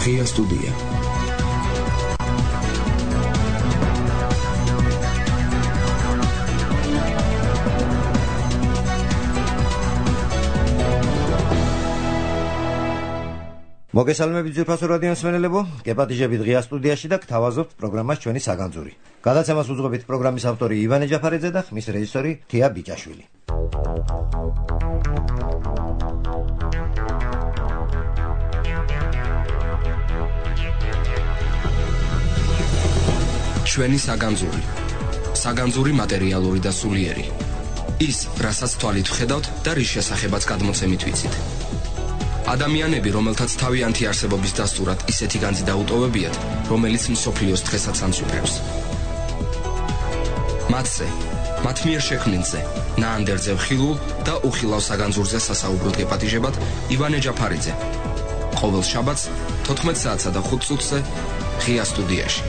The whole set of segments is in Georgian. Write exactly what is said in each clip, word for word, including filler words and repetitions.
ღია სტუდია. მოგესალმებით ძვირფასო რადიო მსმენელებო, გეპატიჟებით ღია სტუდიაში და გთავაზობთ პროგრამას ჩვენი საგანძური. გადაცემას უძღვებით პროგრამის ავტორი ივანე ჯაფარიძე და ხმის რეჟისორი თია ბიჭაშვილი. ჩვენი საგანძური. საგანძური მატერიალური და სულიერი. ის, რასაც თვალით ვხედავთ და რის შესახებაც გადმოცემით ვიცით. ადამიანები, რომელთაც თავიანთი არსებობის დასტურად ისეთი განძი დაუტოვებიათ, რომელიც მსოფლიოს დღესაც ამსუქებს. მათზე, მათ მიერ შექმნილზე, ნაანდერძე ხილულ და უხილავ საგანძურზე სასაუბროდ გეპატიჟებათ ივანე ჯაფარიძე. ყოველ შაბათს თოთხმეტ საათსა და ხუთ წუთზე ღია სტუდიაში.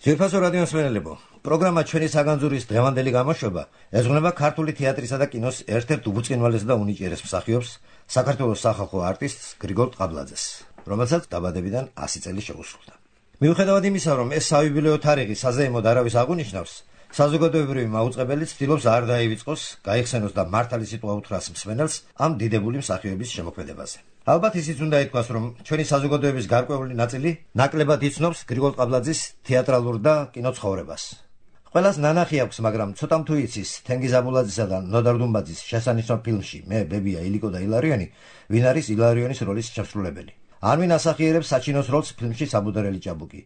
ძვირფასო რადიო მსმენელებო, პროგრამა ჩვენი საგანძურის დღევანდელი გამოშვება ეძღვნება ქართული თეატრისა და კინოს ერთ-ერთ უბუწყინვალეს და უნიჭიერეს მსახიობს, საქართველოს სახალხო არტისტს გრიგოლ ყაბლაძეს, რომელსაც დაბადებიდან ასი წელი შეუსრულდა. მიუხედავად იმისა, რომ ეს საიუბილეო თარიღი საზეიმოდ არავის აღუნიშნავს, საზოგადოებრივი მაუწყებელი ცდილობს არ დაივიწყოს, გაიხსენოს და მართალი სიტყვა უთხრას მსმენელს ამ დიდებული მსახიობის შემოქმედებაზე. ალბათ ისიც უნდა ითქვას, რომ ჩვენი საზოგადოების გარკვეული ნაწილი ნაკლებად იცნობს გრიგოლ ყაბლაძის თეატრალურ და კინოცხოვრებას. ყველას ნანახი აქვს, მაგრამ ცოტამ თუ იცის თენგიზ აბულაძისა და ნოდარ დუმბაძის შესანიშნავ ფილმში მე, ბებია, ილიკო და ილარიონი, ვინ არის ილარიონის როლის შემსრულებელი. ან ვინ ასახიერებს საჩინოს როლს ფილმში საბუდარელი ჭაბუკი.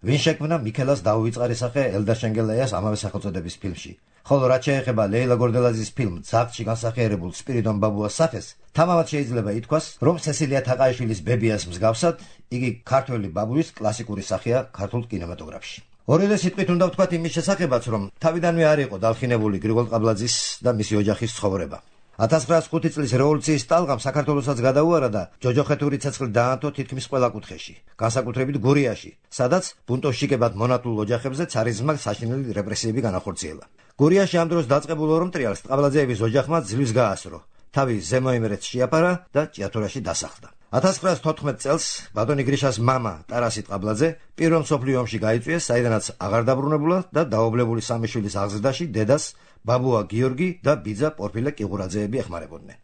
ვინ შექმნა მიქელას დაუვიწყარისახე ელდა შენგელაიას ამავე სახელწოდების ფილმში. ხოლო რაც შეეხება ლეილა გორდელაძის ფილმ ძაღლში განსახიერებულ სპირიდონ ბაბუას სახეს, თამამად შეიძლება ითქვას, რომ სესილია თაყაიშვილის ბებიას მსგავსად, იგი ქართველი ბაბუის კლასიკური სახეა ქართულ კინემატოგრაფში. ორივე სიტყვით უნდა ვთქვათ იმის შესახებაც, რომ თავიდანვე არ იყო დალხინებული გრიგოლ ყაბლაძის და მისი ოჯახის ცხოვრება. ათას ცხრაასი ხუთი წლის რევოლუციის ტალღამ საქართველოსაც გადაუარა და ჯოჯოხეთური ცეცხლი დაანთო თითქმის ყველა კუთხეში, განსაკუთრებით გურიაში, სადაც ბუნტოვშიკებად მონათულ ოჯახებზე ცარიზმმა საშინელი რეპრესიები განახორციელა. გურიაში ამ დროს დაწყებულ ორმტრიალს ყაბლაძეების ოჯახმა ძლივს გაასრო, თავი ზემოიმერეთს შეაფარა და ჭიათურაში დასახლდა. ათას ცხრაასი თოთხმეტ წელს ბატონი გრიშას მამა ტარასი ყაბლაძე პირველ მსოფლიო ომში გაიწვიეს, საიდანაც აღარ დაბრუნებულა და დაობლებული სამი შვილის აღზრდაში დედას ბაბუა გიორგი და ბიძა პორფილე კიღურაძეები ეხმარებოდნენ.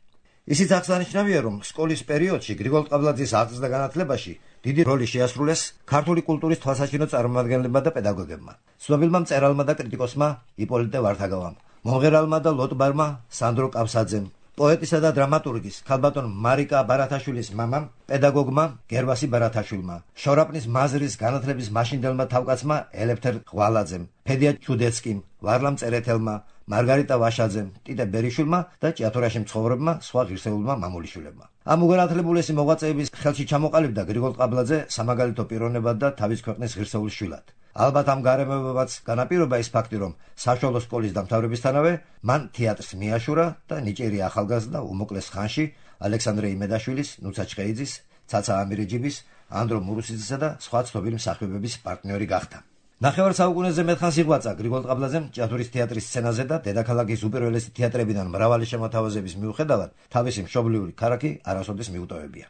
ისიც აღსანიშნავია, რომ სკოლის პერიოდში გრიგოლ ყაბლაძის აღზრდა და განათლებაში დიდი როლი შეასრულეს ქართული კულტურის თვალსაჩინო წარმომადგენლებმა და პედაგოგებმა, ცნობილმა მწერალმა და კრიტიკოსმა იპოლიტე ვართაგავამ, მომღერალმა და ლოტბარმა სანდრო კავსაძემ, პოეტისა და დრამატურგის ქალბატონ მარიკა ბარათაშვილის მამამ, პედაგოგმა გერვასი ბარათაშვილმა, შორაპნის მაზრის განათლების მაშინდელმა თავკაცმა ელეფთერ ღვალაძემ, ფედია ჩუდეცკიმ, ვარლამ წერეთელმა, მარგარიტა ვაშაძემ, ტიტე ბერიშვილმა და ჭიათურაში მცხოვრებმა სხვა ღირსეულმა მამულიშვილებმა. ამ უგანათლებულესი მოღვაწეების ხელში ჩამოყალიბდა გრიგოლ ყაბლაძე სამაგალითო პიროვნებად და თავის ქვეყნის ღირსეულის შვილად. ალბათ ამ გარემოებებაც განაპირობა ის ფაქტი, რომ საშუალო სკოლის დამთავრებისთანავე მან თეატრს მიაშურა და ნიჭიერი ახალგაზრდა უმოკლეს ხანში ალექსანდრე იმედაშვილის, ნუცა ჩხეიძის, ცაცა ამირეჯიბის, ანდრო მურუსიძისა და სხვა ცნობილი მსახიობების პარტნიორი გახდა. ნახევარ საუკუნეზე მეტხანს იღვაწა გრიგოლ ყაბლაძემ ჭიათურის თეატრის სცენაზე და დედაქალაქის უპირველესი თეატრებიდან მრავალი შემოთავაზების მიუხედავად თავისი მშობლიური ქალაქი არასოდეს მიუტოვებია.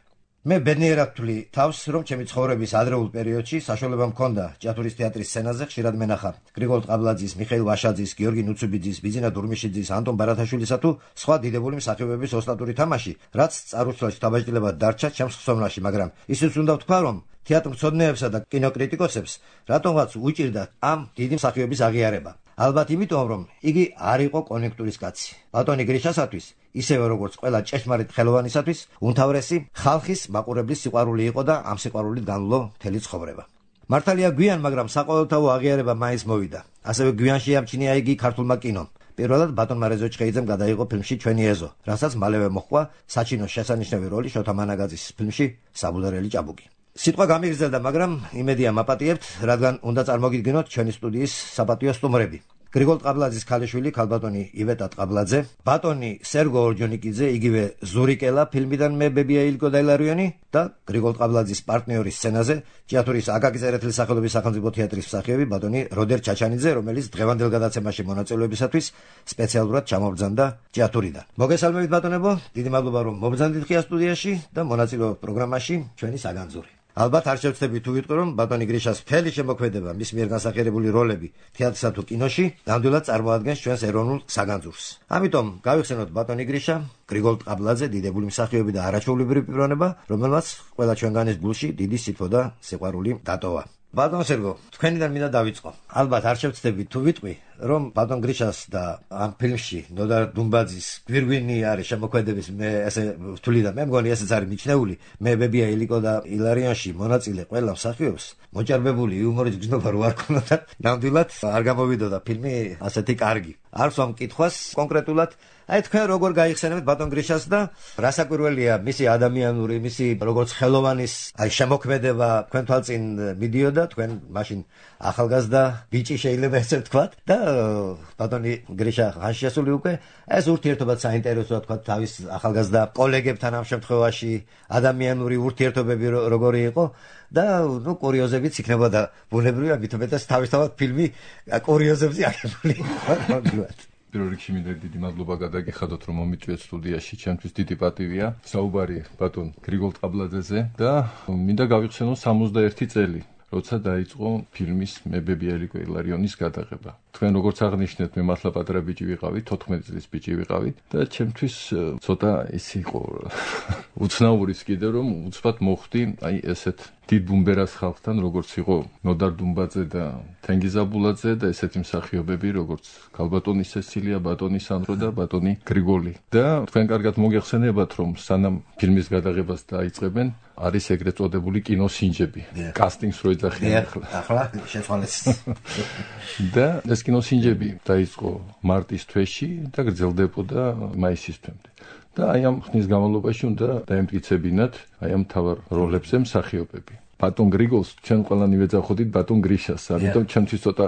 მე ბედნიერად ვთვლი თავს, რომ ჩემი ცხოვრების ადრეულ პერიოდში საშუალება მქონდა ჭიათურის თეატრის სცენაზე ხშირად მენახა გრიგოლ ყაბლაძის, მიხეილ ვაშაძის, გიორგი ნუცუბიძის, ბიძინა დურმიშიძის, ანტონ ბარათაშვილისა თუ სხვა დიდებული მსახიობების ოსტატური თამაში, რაც წარუსულში დაბაჭდილებად დარჩა ჩემს ხსოვნაში, მაგრამ ისიც უნდა ვთქვა, რომ თეატრმცოდნეებსა და კინოკრიტიკოსებს რატომღაც უჭირდათ ამ დიდი მსახიობის აღიარება. ალბათ იმიტომ, რომ იგი არ იყო კონიუნქტურის კაცი. ბატონი გრიშასათვის, ისევე როგორც ყველა ჭეშმარიტ ხელოვანისათვის, უმთავრესი ხალხის მაყურებლის სიყვარული იყო და ამ სიყვარულით განვლო მთელი ცხოვრება. მართალია გვიან, მაგრამ საყოველთაო აღიარება მაინც მოვიდა. ასევე გვიან შეამჩნია იგი ქართულმა კინომ. პირველად ბატონმა რეზო ჩხეიძემ გადაიღო ფილმში ჩვენი ეზო, რასაც მალევე მოჰყვა საჩინოს შესანიშნავი როლი შოთა მანაგაძის ფილმში საბუდარელი ჭაბუკი. სიტყვა გამიგრძელდა, მაგრამ იმედია მაპატიებთ, რადგან უნდა წარმოგიდგინოთ ჩვენი სტუდიის საპატიო სტუმრები. გრიგოლ ტყაბლაძის ქალიშვილი ქალბატონი ივეტა ტყაბლაძე, ბატონი სერგო ორჯონიკიძე, იგივე ზურიკელა ფილმიდან მე ბებია ილიკო და ილარიონი და გრიგოლ ტყაბლაძის პარტნიორის სცენაზე ჭიათურის აკაკი წერეთლის სახელობის სახელმწიფო თეატრის მსახიობი ბატონი როდერ ჩაჩანიძე, რომელიც დღევანდელ გადაცემაში მონაწილეობისათვის სპეციალურად ჩამობრძანდა ჭიათურიდან. მოგესალმებით ბატონებო, დიდი მადლობა რომ მობრძანდით ღია სტუდიაში და მონაწილეობთ პროგრამაში ჩვენი საგანძური. ალბათ არ შევცდები თუ ვიტყვი რომ ბატონი გრიშას მთელი შემოქმედება, მის მიერ განსახიერებული როლები თეატრსა თუ კინოში ნამდვილად წარმოადგენს ჩვენს ეროვნულ საგანძურს. ამიტომ გავიხსენოთ ბატონი გრიშა, გრიგოლ ტყაბლაძე, დიდებული მსახიობი და არაჩვეულებრივი პიროვნება, რომელმაც ყველა ჩვენგანის გულში დიდი სითბო და სიყვარული დატოვა. ბატონ სერგო, თქვენიდან მინდა დავიწყო. ალბათ არ შევცდები თუ ვიტყვი რომ ბატონ გრიშას და ამ ფილმში ნოდარ დუმბაძის გვირგვინი არის შემოქმედების მე ესე ვთვლი და მე მგონი ესეც არის მიჩნეული, მე ბებია ილიკო და ილარიონში მონაწილე ყველა მსახიობს მოჭარბებული იუმორის გზნობა რო არ ქონოდა, ნამდვილად არ გამოვიდოდა ფილმი ასეთი კარგი. არ ვსვამ კითხვას კონკრეტულად, აი თქვენ როგორ გაიხსენებთ ბატონ გრიშას და რა საკვირველია მისი ადამიანური, მისი როგორც ხელოვანის აი შემოქმედება თქვენ თვალწინ მიდიოდა, თქვენ მაშინ ახალგაზრდა ბიჭი შეიძლება ესე ვთქვათ და ბატონი გრიშა ხანში შესული უკვე ეს ურთიერთობაც საინტერესოა თქვა თავის ახალგაზრდა კოლეგებთან ამ შემთხვევაში ადამიანური ურთიერთობები როგორი იყო და ნუ კურიოზებიც იქნება და ბუნებრივია მithometas თავისთავად ფილმი კურიოზებზე აღებული იყო. პირველ რიგში მინდა დიდი მადლობა გადაგიხადოთ რომ მომიწვიეთ სტუდიაში, ჩემთვის დიდი პატივია საუბარი ბატონ გრიგოლ ტყაბლაძეზე და მინდა გავიხსენო სამოცდაერთი წელი როცა დაიწყო ფილმის მე ბებია ილიკო ილარიონის გადაღება. თქვენ როგორც აღნიშნეთ, მე მართლა პატარა ბიჭი ვიყავით, თოთხმეტი წლის ბიჭი ვიყავით და ჩემთვის ცოტა ის იყო უცნაურის კიდე რომ უცბად მოხვდი აი ესეთ დიდ ბუმბერას ხალხთან, როგორც იყო ნოდარ დუმბაძე და თენგიზ აბულაძე და ესეთი მსახიობები, როგორც ქალბატონი სესილია, ბატონი სანდრო და ბატონი გრიგოლი. და თქვენ კარგად მოგეხსენებათ, რომ სანამ ფილმის გადაღებას დაიწყებენ, არის ეგრეთ წოდებული კინოსინჯები. კასტინგს რო ეძახიან ახლა. ახლა შეცვალეს. და ეს კინოსინჯები დაიწყო მარტის თვეში და გრძელდებოდა მაისის თვემდე. და აი ამ ხნის განმავლობაში უნდა დაემტკიცებინათ აი ამ მთავარ როლებზე მსახიობები. ბატონ გრიგოლს ჩვენ ყველანი ვეძახოდით ბატონ გრიშას, ამიტომ ჩემთვის ცოტა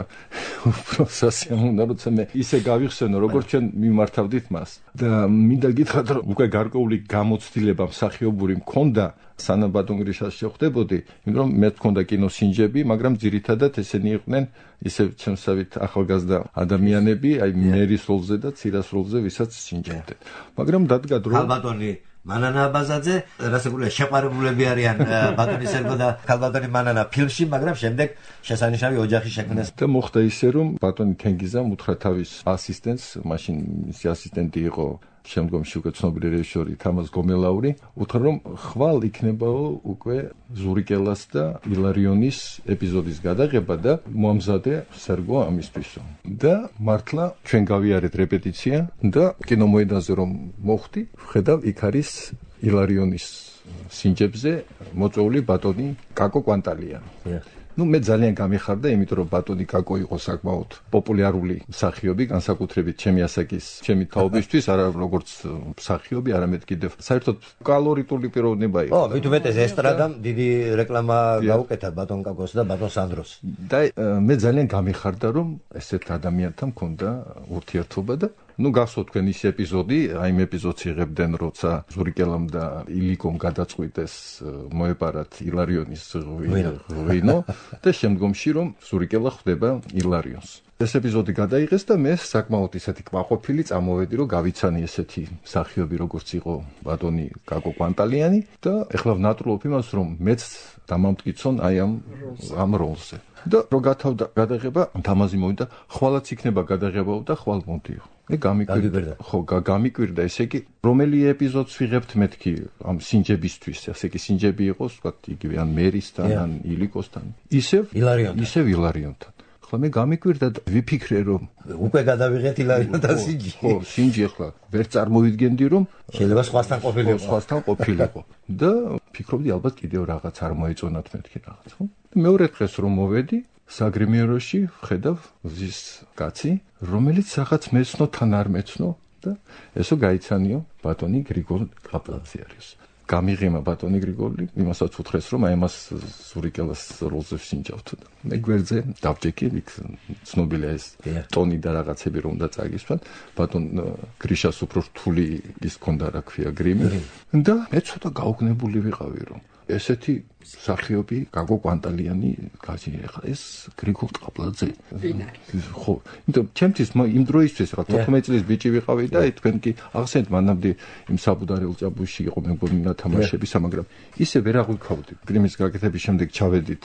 უფრო სასიამოვნო, როცა მე ისე გავიხსენო, როგორც ჩვენ მიმართავდით მას. და მინდა გითხრათ, რომ უკვე გარკვეული გამოცდილება მსახიობური მქონდა სანამ ბატონ გრიშას შეხვდებოდი, იმიტომ რომ მე მქონდა კინოსინჯები, მაგრამ ძირითადად ესენი იყვნენ ისე ჩემსავით ახალგაზრდა ადამიანები, აი მერის როლზე და ცირას როლზე, ვისაც სინჯებდნენ. მაგრამ დადგა დრო ქალბატონი მანანა აბაზაძე, რასაკურია შეყვარებულები არიან ბატონი სერგო და ქალბატონი მანანა ფილმში, მაგრამ შემდეგ შესანიშნავი ოჯახი შექმნეს. და მოხდა ისე რომ ბატონი თენგიზამ უთხრა თავის ასისტენტს, მაშინ მისი ასისტენტი იყო შემდგომში უკვე ცნობილი რეჟისორი თამაზ გომელაური, უთხრა რომ ხვალ იქნებაო უკვე ზურიკელას და ილარიონის ეპიზოდის გადაღება და მოამზადე სერგო ამისთვისო. და მართლა ჩვენ გავიარეთ რეპეტიცია და კინომოედანზე რომ მოხვდი, ვხედავ იქ არის ილარიონის სინჯებზე მოწვეული ბატონი კაკო კვანტალიანი. ნუ მე ძალიან გამიხარდა, იმიტომ რომ ბატონი კაკო იყო საკმაოდ პოპულარული მსახიობი, განსაკუთრებით ჩემი ასაკის, ჩემი თაობისთვის, არა როგორც მსახიობი, არამედ კიდევ საერთოდ კალორიტული პიროვნება იყო. ო, მით უმეტეს ესტრადამ დიდი რეკლამა გაუკეთა ბატონ კაკოს და ბატონ სანდროს. და მე ძალიან გამიხარდა, რომ ესეთ ადამიანთან მქონდა ურთიერთობა და ნუ გახსოვთ თქვენ ის ეპიზოდი, აი იმ ეპიზოდს იღებდნენ, როცა ზურიკელამ და ილიკომ გადაწყვიტეს მოეპარათ ილარიონის ღვინო და შემდგომში რომ ზურიკელა ხვდება ილარიონს. ეს ეპიზოდი გადაიღეს და მე საკმაოდ ისეთი კმაყოფილი წამოვედი, რომ გავიცანი ესეთი მსახიობი, როგორც იყო ბატონი კაკო კვანტალიანი და ეხლა ვნატრულობ იმას, რომ მეც დამამტკიცონ აი ამ ამ როლზე. და რო გათავდა გადაღება, თამაზი მოვიდა, ხვალაც იქნება გადაღებაო და ხვალ მომდიო. მე გამიკვირდა, ხო, გამიკვირდა, ესე იგი, რომელი ეპიზოდს ვიღებთ მეთქი ამ სინჯებისთვის, ასე იგი სინჯები იყოს, ვთქვათ, იგივე ან მერისთან, ან ილიკოსთან, ისევ ილარიონთან. ისევ ილარიონთან. ახლა მე გამიკვირდა და ვიფიქრე, რომ უკვე გადავიღეთ ილარიონთან სინჯი. ხო, სინჯი ახლა ვერ წარმოვიდგენდი, რომ შეიძლება სხვასთან ყოფილიყო. სხვასთან ყოფილიყო. და ფიქრობდი, ალბათ კიდევ რაღაც არ მოეწონათ მეთქი რაღაც, ხო? მეორე დღეს რომ მოვედი საგრიმიეროში, ვხედავ ვზის კაცი, რომელიც რაღაც მეცნო თან არ მეცნო და ესო გაიცანიო ბატონი გრიგოლ ტყაბლაძე არის. გამიღიმა ბატონი გრიგოლი იმასაც უთხრეს რომ აი მას ზურიკელას როლზე ვსინჯავთ და მე გვერდზე დავჭეკი იქ ცნობილია ეს ტონი და რაღაცები რომ უნდა წაგისვან ბატონ გრიშას უფრო რთული ის ქონდა რა ქვია გრიმი და მე ცოტა გაუგნებული ვიყავი რომ ესეთი მსახიობი გაგო კვანტალიანი გაჩნია ხა ეს გრიგოლ ტყაბლაძე ხო იმიტომ ჩემთვის იმ დროისთვის რა თოთხმეტი წლის ბიჭი ვიყავი და თქვენ კი ახსენეთ მანამდე იმ საბუდარი ელჭაბუში იყო მეგონა თამაშებისა მაგრამ ისე ვერ აღვიქავდი გრიმის გაკეთების შემდეგ ჩავედით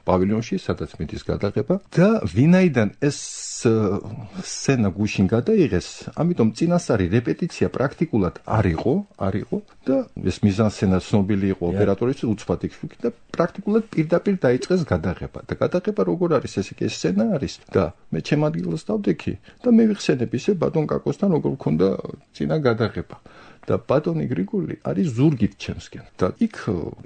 პავილიონში სადაც მიდის გადაღება და ვინაიდან ეს სცენა გუშინ გადაიღეს ამიტომ წინასწარი რეპეტიცია პრაქტიკულად არ იყო არ იყო და ეს მიზანსცენა ცნობილი იყო ოპერატორის უცბად იქ და პრაქტიკულად პირდაპირ დაიწყეს გადაღება და გადაღება როგორ არის ესე კი ეს სცენა არის და მე ჩემ ადგილას დავდექი და მე ვიხსენებ ისე ბატონ კაკოსთან როგორ მქონდა წინა გადაღება და ბატონი გრიგოლი არის ზურგით ჩემსკენ და იქ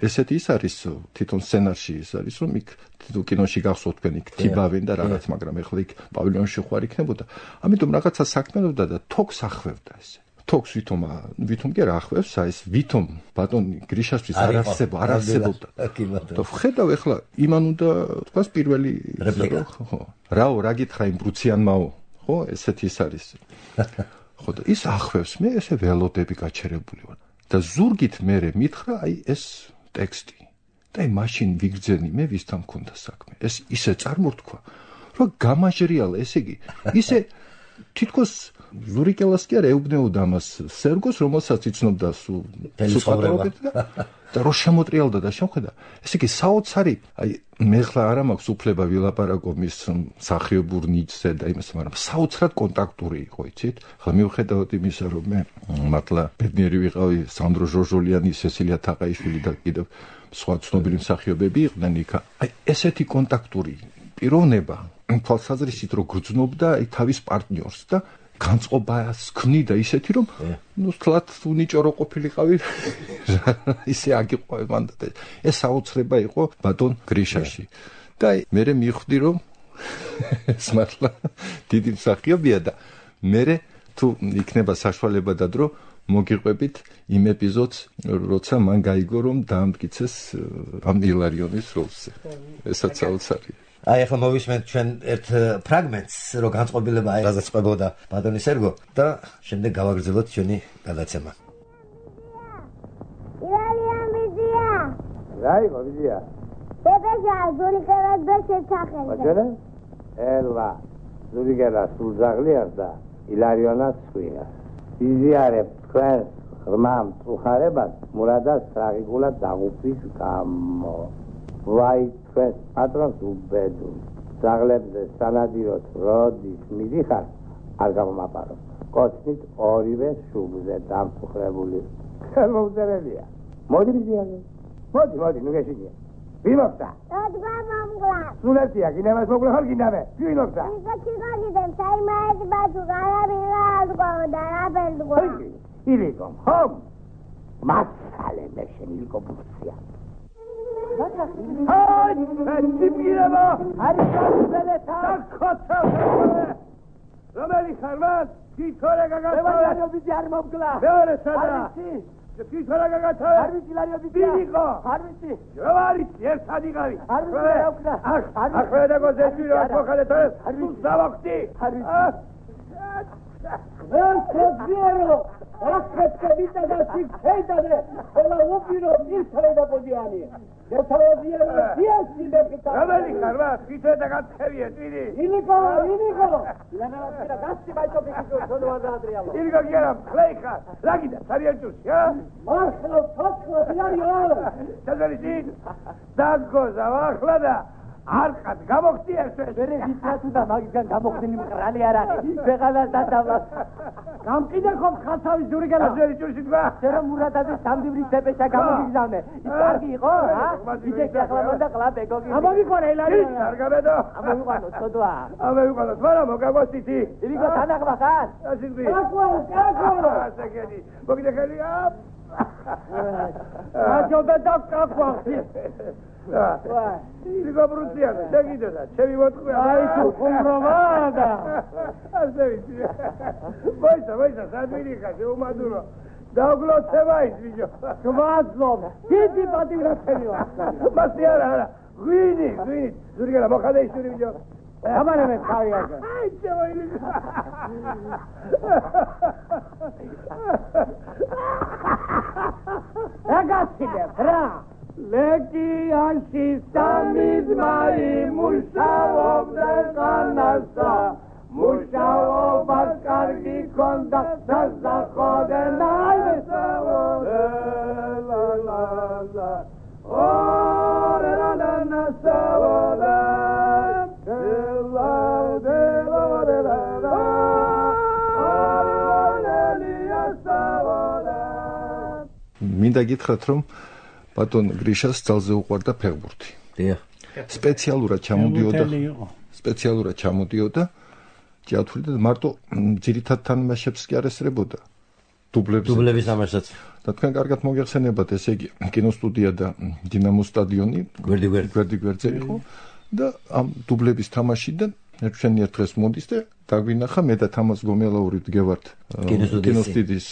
ესეთი ის არის თვითონ სცენარში ის არის რომ იქ თვითონ კინოში გახსოვთ თქვენ იქ თიბავენ და რაღაც მაგრამ ეხლა იქ პავილიონში ხوار იქნებოდა ამიტომ რაღაცა საქმიანობდა და თოქს ახვევდა ესე თოქს ვითომ ვითომ კი არ ახვევს აი ეს ვითომ ბატონი გრიშასთვის არ არსებობდა არ არსებობდა და ხედავ ეხლა იმან უნდა თქვას პირველი ხო რაო რა გითხრა იმ ბრუციანმაო ხო ესეთი ის არის ხო და ის ახვევს მე ესე ველოდები გაჩერებული ვარ და ზურგით მე მითხრა აი ეს ტექსტი და აი მაშინ ვიგრძენი მე ვისთან მქონდა საქმე ეს ისე წარმორთქვა რომ გამაჟრიალა ესე იგი ისე თითქოს ზურიკელას კი არ ეუბნეოდა ამას სერგოს რომელსაც იცნობდა სულ სუპატრობით და რო შემოტრიალდა და შეხედა ესე იგი საოცარი აი მე ხლა არ მაქვს უფლება ვილაპარაკო მის მსახიობურ ნიჭზე და იმას მაგრამ საოცრად კონტაქტური იყო იცით ხლა მივხედავთ იმისა რომ მე მართლა ბედნიერი ვიყავი სანდრო ჟორჟოლიანი სესილია თაყაიშვილი და კიდევ სხვა ცნობილი მსახიობები იყვნენ იქ აი ესეთი კონტაქტური პიროვნება თვალსაზრისით რო გრძნობდა აი თავის პარტნიორს და განწყობას ქმნიდა ისეთი რომ ნუ თლათ უნიჭორო ყოფილიყავი ისე აგიყვე მანდ ეს საოცრება იყო ბატონ გრიშაში და მე მივხვდი რომ ეს მართლა დიდი მსახიობია და მე თუ იქნება საშუალება და დრო მოგიყვებით იმ ეპიზოდს როცა მან გაიგო რომ დაამტკიცეს ამ ილარიონის როლზე ესაც საოცარია აი ახლა მოვისმენთ ჩვენ ერთ ფრაგმენტს რო განწყობილება აი რაზეც ყვებოდა ბატონი სერგო და შემდეგ გავაგრძელოთ ჩვენი გადაცემა ილარიონ ვიზია რაი ვიზია ბებეჟა ზურიკელას შეცახელდა აჯერა ელვა ზურიკელას სულზაღლიას და ილარიონას ხუია იზიარებ თქვენ ღრმამ წუხარებას მურადას ტრაგიკულად დაღუპვის გამო ვაი თქვენ პატრონს უბედურ ძაღლებზე სანადიროდ როდის მიდიხარ არ გამომაპაროთ კოცნით ორივე შუბზე დამწუხრებული ხელმოუწერელია მოდი მიზიაზე მოდი მოდი ნუ გეშინია ვიმოხდა როდგა მომგლა სულეთია გინებას მოგლა ხარ გინდამე ვიმოხდა ისე ჩიგალიდან საიმაეთ ბაძუ გარაბილა ალგო და რაბელგო ილიკომ ხომ მასალე მეშენ ილიკო ბუცია აი, ციფირება! არის გასულეთა! დაკოცა! რომელი ხარვას? თითქორე გაგათავე! ლარიო ბიძი არ მომგლა! მეორე სადა! არის თითქორე გაგათავე! არ ვიცი ლარიო ბიძი! ვიღო! არ ვიცი! რა არის? ერთად იყავი! არ ვიცი რა ვქნა! არ ხედა გოზეთი რა მოხალეთო! თუ დავახტი! არ ვიცი! ეს ზიერო! ახეთკე ბიჭა და სიქეიდადე! ელა უბირო ისრედა პოდიანი! გეთავაზია სიასი მეკითხა. რომელი ხარვა? თვითე და გაცხევია ტვიდი. ილიკო, ილიკო. ლანავატირა გასცი ბაიჭო ბიჭო თონო ადრიალო. ილიკო გერა ფლეიხა. ლაგიდა სარიაჭუს, ა? მართლა თოცხო დიარიო. ჩაზალისი. დაგგოზა ახლა და არყად გამოხდი ერთვე. ვერე ვიცათუ და მაგისგან გამოხდილი მყრალი არ არის. ვეღალა დადავლა. გამყიდა ხომ ხალხავი ზურიგელა. აზერი ჭურში თქვა. შენ მურადაძე სამდივრის დეპეშა გამოგიგზავნე. ის კარგი იყო, ა? ვიდექი ახლა მანდა ყლაპ ეკოგი. ამავიყვანე ელარი. არ გამედო. ამავიყვანო ცოდვა. ამავიყვანო, თორა მოგაგვასითი. ილიკო თანახმა ხარ? ასიძი. აკვა, აკვა. ასაკედი. მოგიდეხელია. აჯობა და აკვა. ვაი. ილიკო ბრუსია, შეგიდოდა, ჩემი მოთქვია. აი თუ ხუმროვადა. ასე ვიცი. ვაისა, ვაისა, სადვილი ხარ, შეუმადურო. დაგლოცება ის ბიჭო. გვაძლობ. დიდი პატივრაცელი ვარ. მასი არა არა. ღვინი, ღვინი. ზურგელა მოხადე ისური ბიჭო. ამარემე თავი აგა. აი ძოილი. რაგაცინებ რა. ლეკი ანში სამიზმარი მუშაობდა განასა. მუშაობას კარგი ქონდა დასახოდე ნაივესაოდა ლა ლა ლა ორე ლა ლა ნასაოდა ლა ლა ლა ლა ლა მინდა გითხრათ რომ ბატონ გრიშას ძალზე უყვარდა ფეხბურთი. დიახ. სპეციალურად ჩამოდიოდა სპეციალურად ჩამოდიოდა თეატრში და მარტო ძირითად თამაშებს კი არ ესწრებოდა. დუბლებს დუბლების თამაშსაც. და თქვენ კარგად მოგეხსენებათ, ესე იგი, კინოსტუდია და დინამოს სტადიონი გვერდი-გვერდ გვერდი-გვერდზე იყო და ამ დუბლების თამაშიდან ერთშენიერ დღეს მოდის და დაგვინახა მე და თამაზ გომელაური ვდგევართ კინოსტუდიის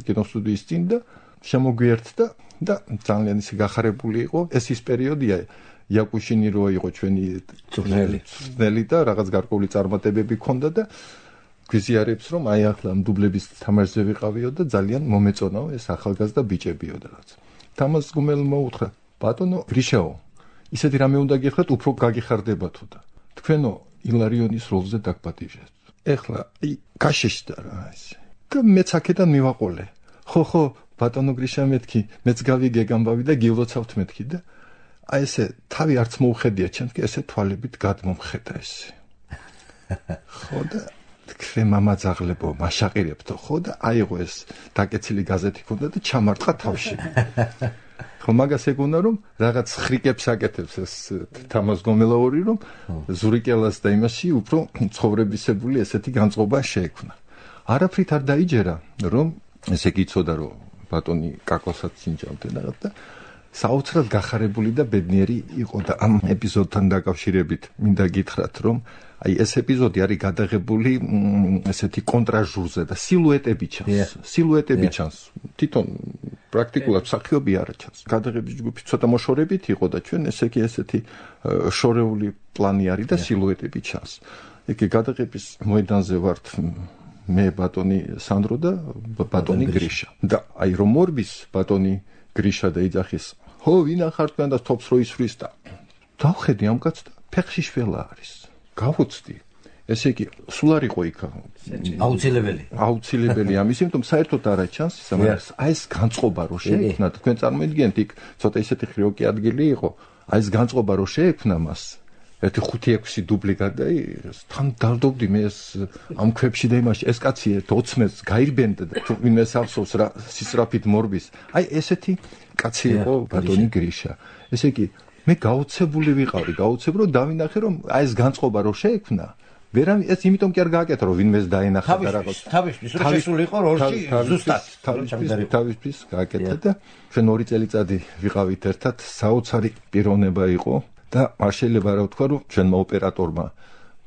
კინოსტუდიის წინ და შემოგვიერთდა და ძალიან ისე გახარებული იყო. ეს ის პერიოდია იაკუშინი რო იყო ჩვენი წვრთნელი და რაღაც გარკვეული წარმატებები ჰქონდა და გვიზიარებს რომ აი ახლა ამ დუბლების თამაშზე ვიყავიო და ძალიან მომეწონაო ეს ახალგაზრდა ბიჭებიო და რაღაც. თამაზ გუმელმა უთხრა ბატონო გრიშაო ისეთი რამე უნდა გიხდეთ უფრო გაგიხარდებათო და თქვენო ილარიონის როლზე დაგპატიჟეთ. ეხლა აი გაშეშდა რა ესე. და მეც აქედან მივაყოლე. ხო ხო ბატონო გრიშა მეთქი მეც გავიგე გამბავი და გილოცავთ მეთქი და აი ესე თავი არც მოუხედია ჩემს კი ესე თვალებით გადმომხედა ესე. ხო და თქვენ მამაძაღლებო მაშაყირებთო ხო და აიღო ეს დაკეცილი გაზეთი ქონდა და ჩამარტყა თავში. ხო მაგას ეგონა რომ რაღაც ხრიკებს აკეთებს ეს თამაზ გომელაური რომ ზურიკელას და იმაში უფრო ცხოვრებისებული ესეთი განწყობა შეექმნა. არაფრით არ დაიჯერა რომ ესე გიწოდა რომ ბატონი კაკოსაც ინჯავდა რაღაც და საოცრად გახარებული და ბედნიერი იყო და ამ ეპიზოდთან დაკავშირებით მინდა გითხრათ რომ აი ეს ეპიზოდი არის გადაღებული ესეთი კონტრაჟურზე და სილუეტები ჩანს სილუეტები ჩანს თვითონ პრაქტიკულად მსახიობი არ ჩანს გადაღების ჯგუფი ცოტა მოშორებით იყო და ჩვენ ესე იგი ესეთი შორეული პლანი არის და სილუეტები ჩანს იგი გადაღების მოედანზე ვართ მე ბატონი სანდრო და ბატონი გრიშა და აი რომ მორბის ბატონი გრიშა და იძახის ხო ვინ ახარ თქვენ და თოფს რო ისვრის და დავხედი ამ კაცს და ფეხში შველა არის გავუცდი ესე იგი სულ არ იყო იქ აუცილებელი აუცილებელი ამის იმიტომ საერთოდ არა ჩანს ისა მაგრამ აი ეს განწყობა რო შეექმნა თქვენ წარმოიდგენთ იქ ცოტა ისეთი ხრიოკი ადგილი იყო აი ეს განწყობა რო შეექმნა მას ერთი ხუთი ექვსი დუბლი გადაიღეს თან დავდობდი მე ეს ამ ქვებში და იმაში ეს კაცი ოცმეს გაირბენდა და ვინმე სახსოვს რა სისწრაფით მორბის აი ესეთი კაცი იყო ბატონი გრიშა ესე იგი მე გაოცებული ვიყავი გაოცებ რომ დავინახე რომ აი ეს განწყობა რო შეექმნა ვერავინ ეს იმიტომ კი არ გააკეთა რომ ვინმეს დაენახა და რაღაც თავისთვის რო შესული იყო როლში ზუსტად თავისთვის გააკეთა და ჩვენ ორი წელიწადი ვიყავით ერთად საოცარი პიროვნება იყო და არ შეიძლება რა ვთქვა რომ ჩვენმა ოპერატორმა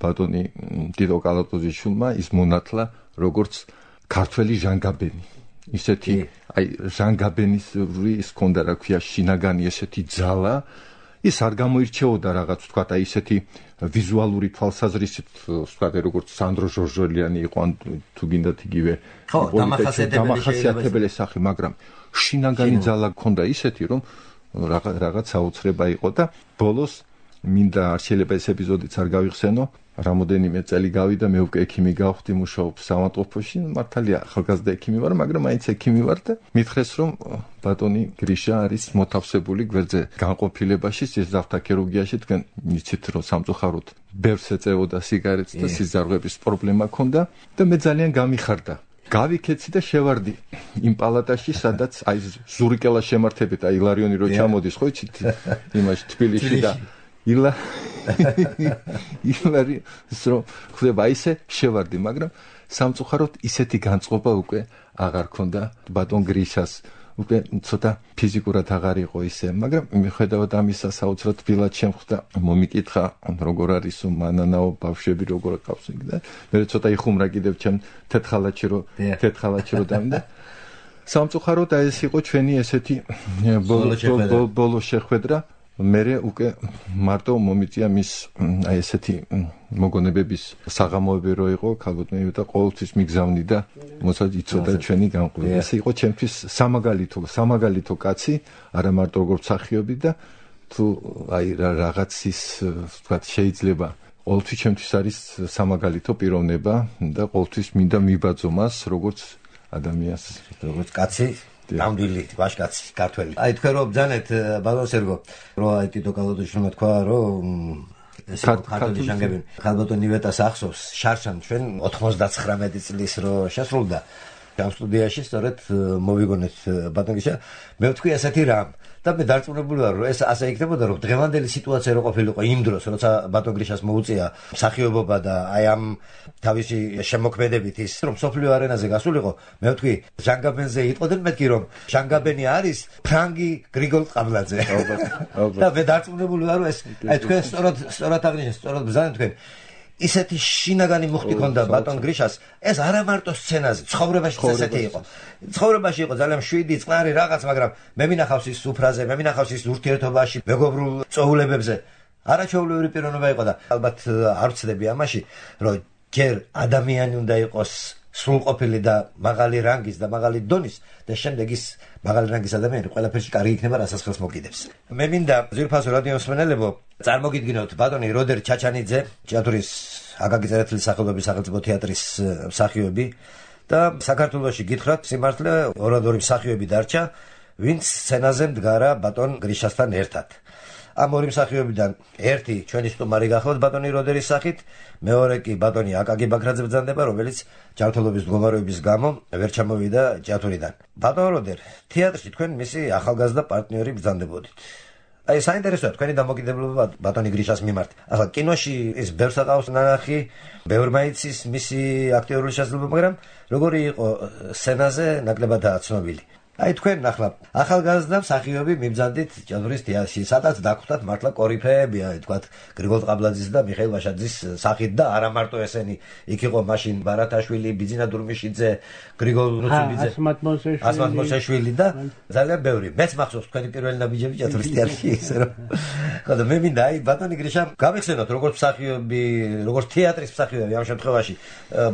ბატონი დიდო კალატოზიშვილმა ის მონათლა როგორც ქართველი ჟანგაბენი ისეთი აი ჟანგაბენის ის ქონდა რა ქვია შინაგანი ესეთი ძალა ის არ გამოირჩეოდა რაღაც ვთქვა აი ისეთი ვიზუალური თვალსაზრისით ვთქვა როგორც სანდრო ჟორჟოლიანი იყო ან თუ გინდათ იგივე ხო დამახასიათებელი სახე მაგრამ შინაგანი ძალა ქონდა ისეთი რომ რაღაც საოცრება იყო და ბოლოს მინდა არ შეიძლება ეს ეპიზოდიც არ გავიხსენო რამოდენიმე წელი გავიდა მე უკვე ექიმი გავხდი მუშაობ საავადმყოფოში მართალია ახალგაზრდა ექიმი ვარ მაგრამ მაინც ექიმი ვარ და მითხრეს რომ ბატონი გრიშა არის მოთავსებული გვერდზე განყოფილებაში სიზართა ქირურგიაში თქვენ იცით რომ სამწუხაროდ ბევრს ეწეოდა სიგარეტს და სიზარღების პრობლემა ჰქონდა და მე ძალიან გამიხარდა გავიქეცი და შევარდი იმ პალატაში სადაც აი ზურიკელა შემართებით აი ილარიონი რო ჩამოდის ხო იცით იმაში თბილისში და ილა ილარი სრო ხდება ისე შევარდი მაგრამ სამწუხაროდ ისეთი განწყობა უკვე აღარ ქონდა ბატონ გრიშას უკვე ცოტა ფიზიკურად აღარ იყო ისე მაგრამ მიხედავად ამისა საოცრად თბილად შემხვდა მომიკითხა როგორ არისო მანანაო ბავშვები როგორ ყავს იქ და მე ცოტა იხუმრა კიდევ ჩემ თეთხალაჩი რო თეთხალაჩი რო დამდა სამწუხაროდ აი ეს იყო ჩვენი ესეთი ბოლო შეხვედრა. მე უკვე მარტო მომიწია მის აი ესეთი მოგონებების საღამოები რო იყო ქალბატონი და ყოველთვის მიგზავნიდა მოსაც იცოდა ჩვენი გამყრება. ეს იყო ჩემთვის სამაგალითო სამაგალითო კაცი, არა მარტო როგორც მსახიობი და თუ აი რაღაცის თქვა შეიძლება ყოველთვის ჩემთვის არის სამაგალითო პიროვნება და ყოველთვის მინდა მიბაძო მას როგორც ადამიანს, როგორც კაცი. ნამდვილი ვაჟკაცი ქართველი. აი თქვენ რომ ბძანეთ ბატონ სერგო, რომ აი ტიტო კალოდოშმა თქვა, რომ ეს ქართული ჟანგები ქალბატონი ვეტას ახსოვს შარშან ჩვენ ოთხმოცდაცხრამეტი წლის რო შესრულდა ამ სტუდიაში, სწორედ მოვიგონეთ ბატონ გიშა, მე ვთქვი ასეთი რამ და მე დარწმუნებული ვარ, რომ ეს ასე იქნებოდა, რომ დღევანდელი სიტუაცია რო ყოფილიყო იმ დროს, როცა ბატონ გრიშას მოუწია მსახიობობა და აი ამ თავისი შემოქმედებით ის, რომ სოფლიო არენაზე გასულიყო, მე ვთქვი, ჟანგაბენზე იყოდნენ მეთქი, რომ ჟანგაბენი არის ფრანგი გრიგოლ ყაბლაძე. და მე დარწმუნებული ვარ, რომ ეს აი თქვენ სწორად სწორად აღნიშნეთ, სწორად ბრძანეთ თქვენ. ისეთი შინაგანი მუხტი ქონდა ბატონ გრიშას, ეს არა მარტო სცენაზე, ცხოვრებაში ესეთი იყო. ცხოვრებაში იყო ძალიან შვიდი, წყნარი რაღაც, მაგრამ მე მინახავს ის სუფრაზე, მე მინახავს ის ურთიერთობაში, მეგობრულ წოულებებზე. არაჩვეულებრივი პიროვნება იყო და ალბათ არ ვცდები ამაში, რომ ჯერ ადამიანი უნდა იყოს სრულყოფილი და მაღალი რანგის და მაღალი დონის და შემდეგ ის მაღალი რანგის ადამიანი ყველაფერში კარგი იქნება, რასაც ხელს მოგიდებს. მე მინდა ძვირფასო რადიო მსმენელებო, წარმოგიდგინოთ ბატონი როდერ ჩაჩანიძე, თეატრის აკაკი წერეთლის სახელობის სახელმწიფო თეატრის მსახიობი და საქართველოში გითხრათ სიმართლე ორად ორი მსახიობი დარჩა, ვინც სცენაზე მდგარა ბატონ გრიშასთან ერთად. ამ ორი მსახიობიდან ერთი ჩვენი სტუმარი გახლავთ ბატონი როდერის სახით, მეორე კი ბატონი აკაკი ბაქრაძე ბრძანდება, რომელიც ჯანმრთელობის მდგომარეობის გამო ვერ ჩამოვიდა თეატრიდან. ბატონ როდერ, თეატრში თქვენ მისი ახალგაზრდა პარტნიორი ბრძანდებოდით. აი საინტერესოა თქვენი დამოკიდებულება ბატონი გრიშას მიმართ. ახლა კინოში ის ბევრს აყავს ნანახი, ბევრმა იცის მისი აქტიორული შესაძლებლობა, მაგრამ როგორი იყო სცენაზე ნაკლებადაა ცნობილი. აი თქვენ ახლა ახალგაზრდა მსახიობი მიბრძანდით თეატრის თეატრში, სადაც დაგხვდათ მართლა კორიფეები, აი თქვათ გრიგოლ ყაბლაძის და მიხეილ ვაშაძის სახით და არა მარტო ესენი, იქ იყო მაშინ ბარათაშვილი, ბიძინა დურმიშიძე, გრიგოლ ნუცუბიძე, ასმათ მოსაშვილი და ძალიან ბევრი. მეც მახსოვს თქვენი პირველი ნაბიჯები თეატრის თეატრში, ისე რომ ხო და მე მინდა აი ბატონი გრიშა გავიხსენოთ როგორც მსახიობი, როგორც თეატრის მსახიობი ამ შემთხვევაში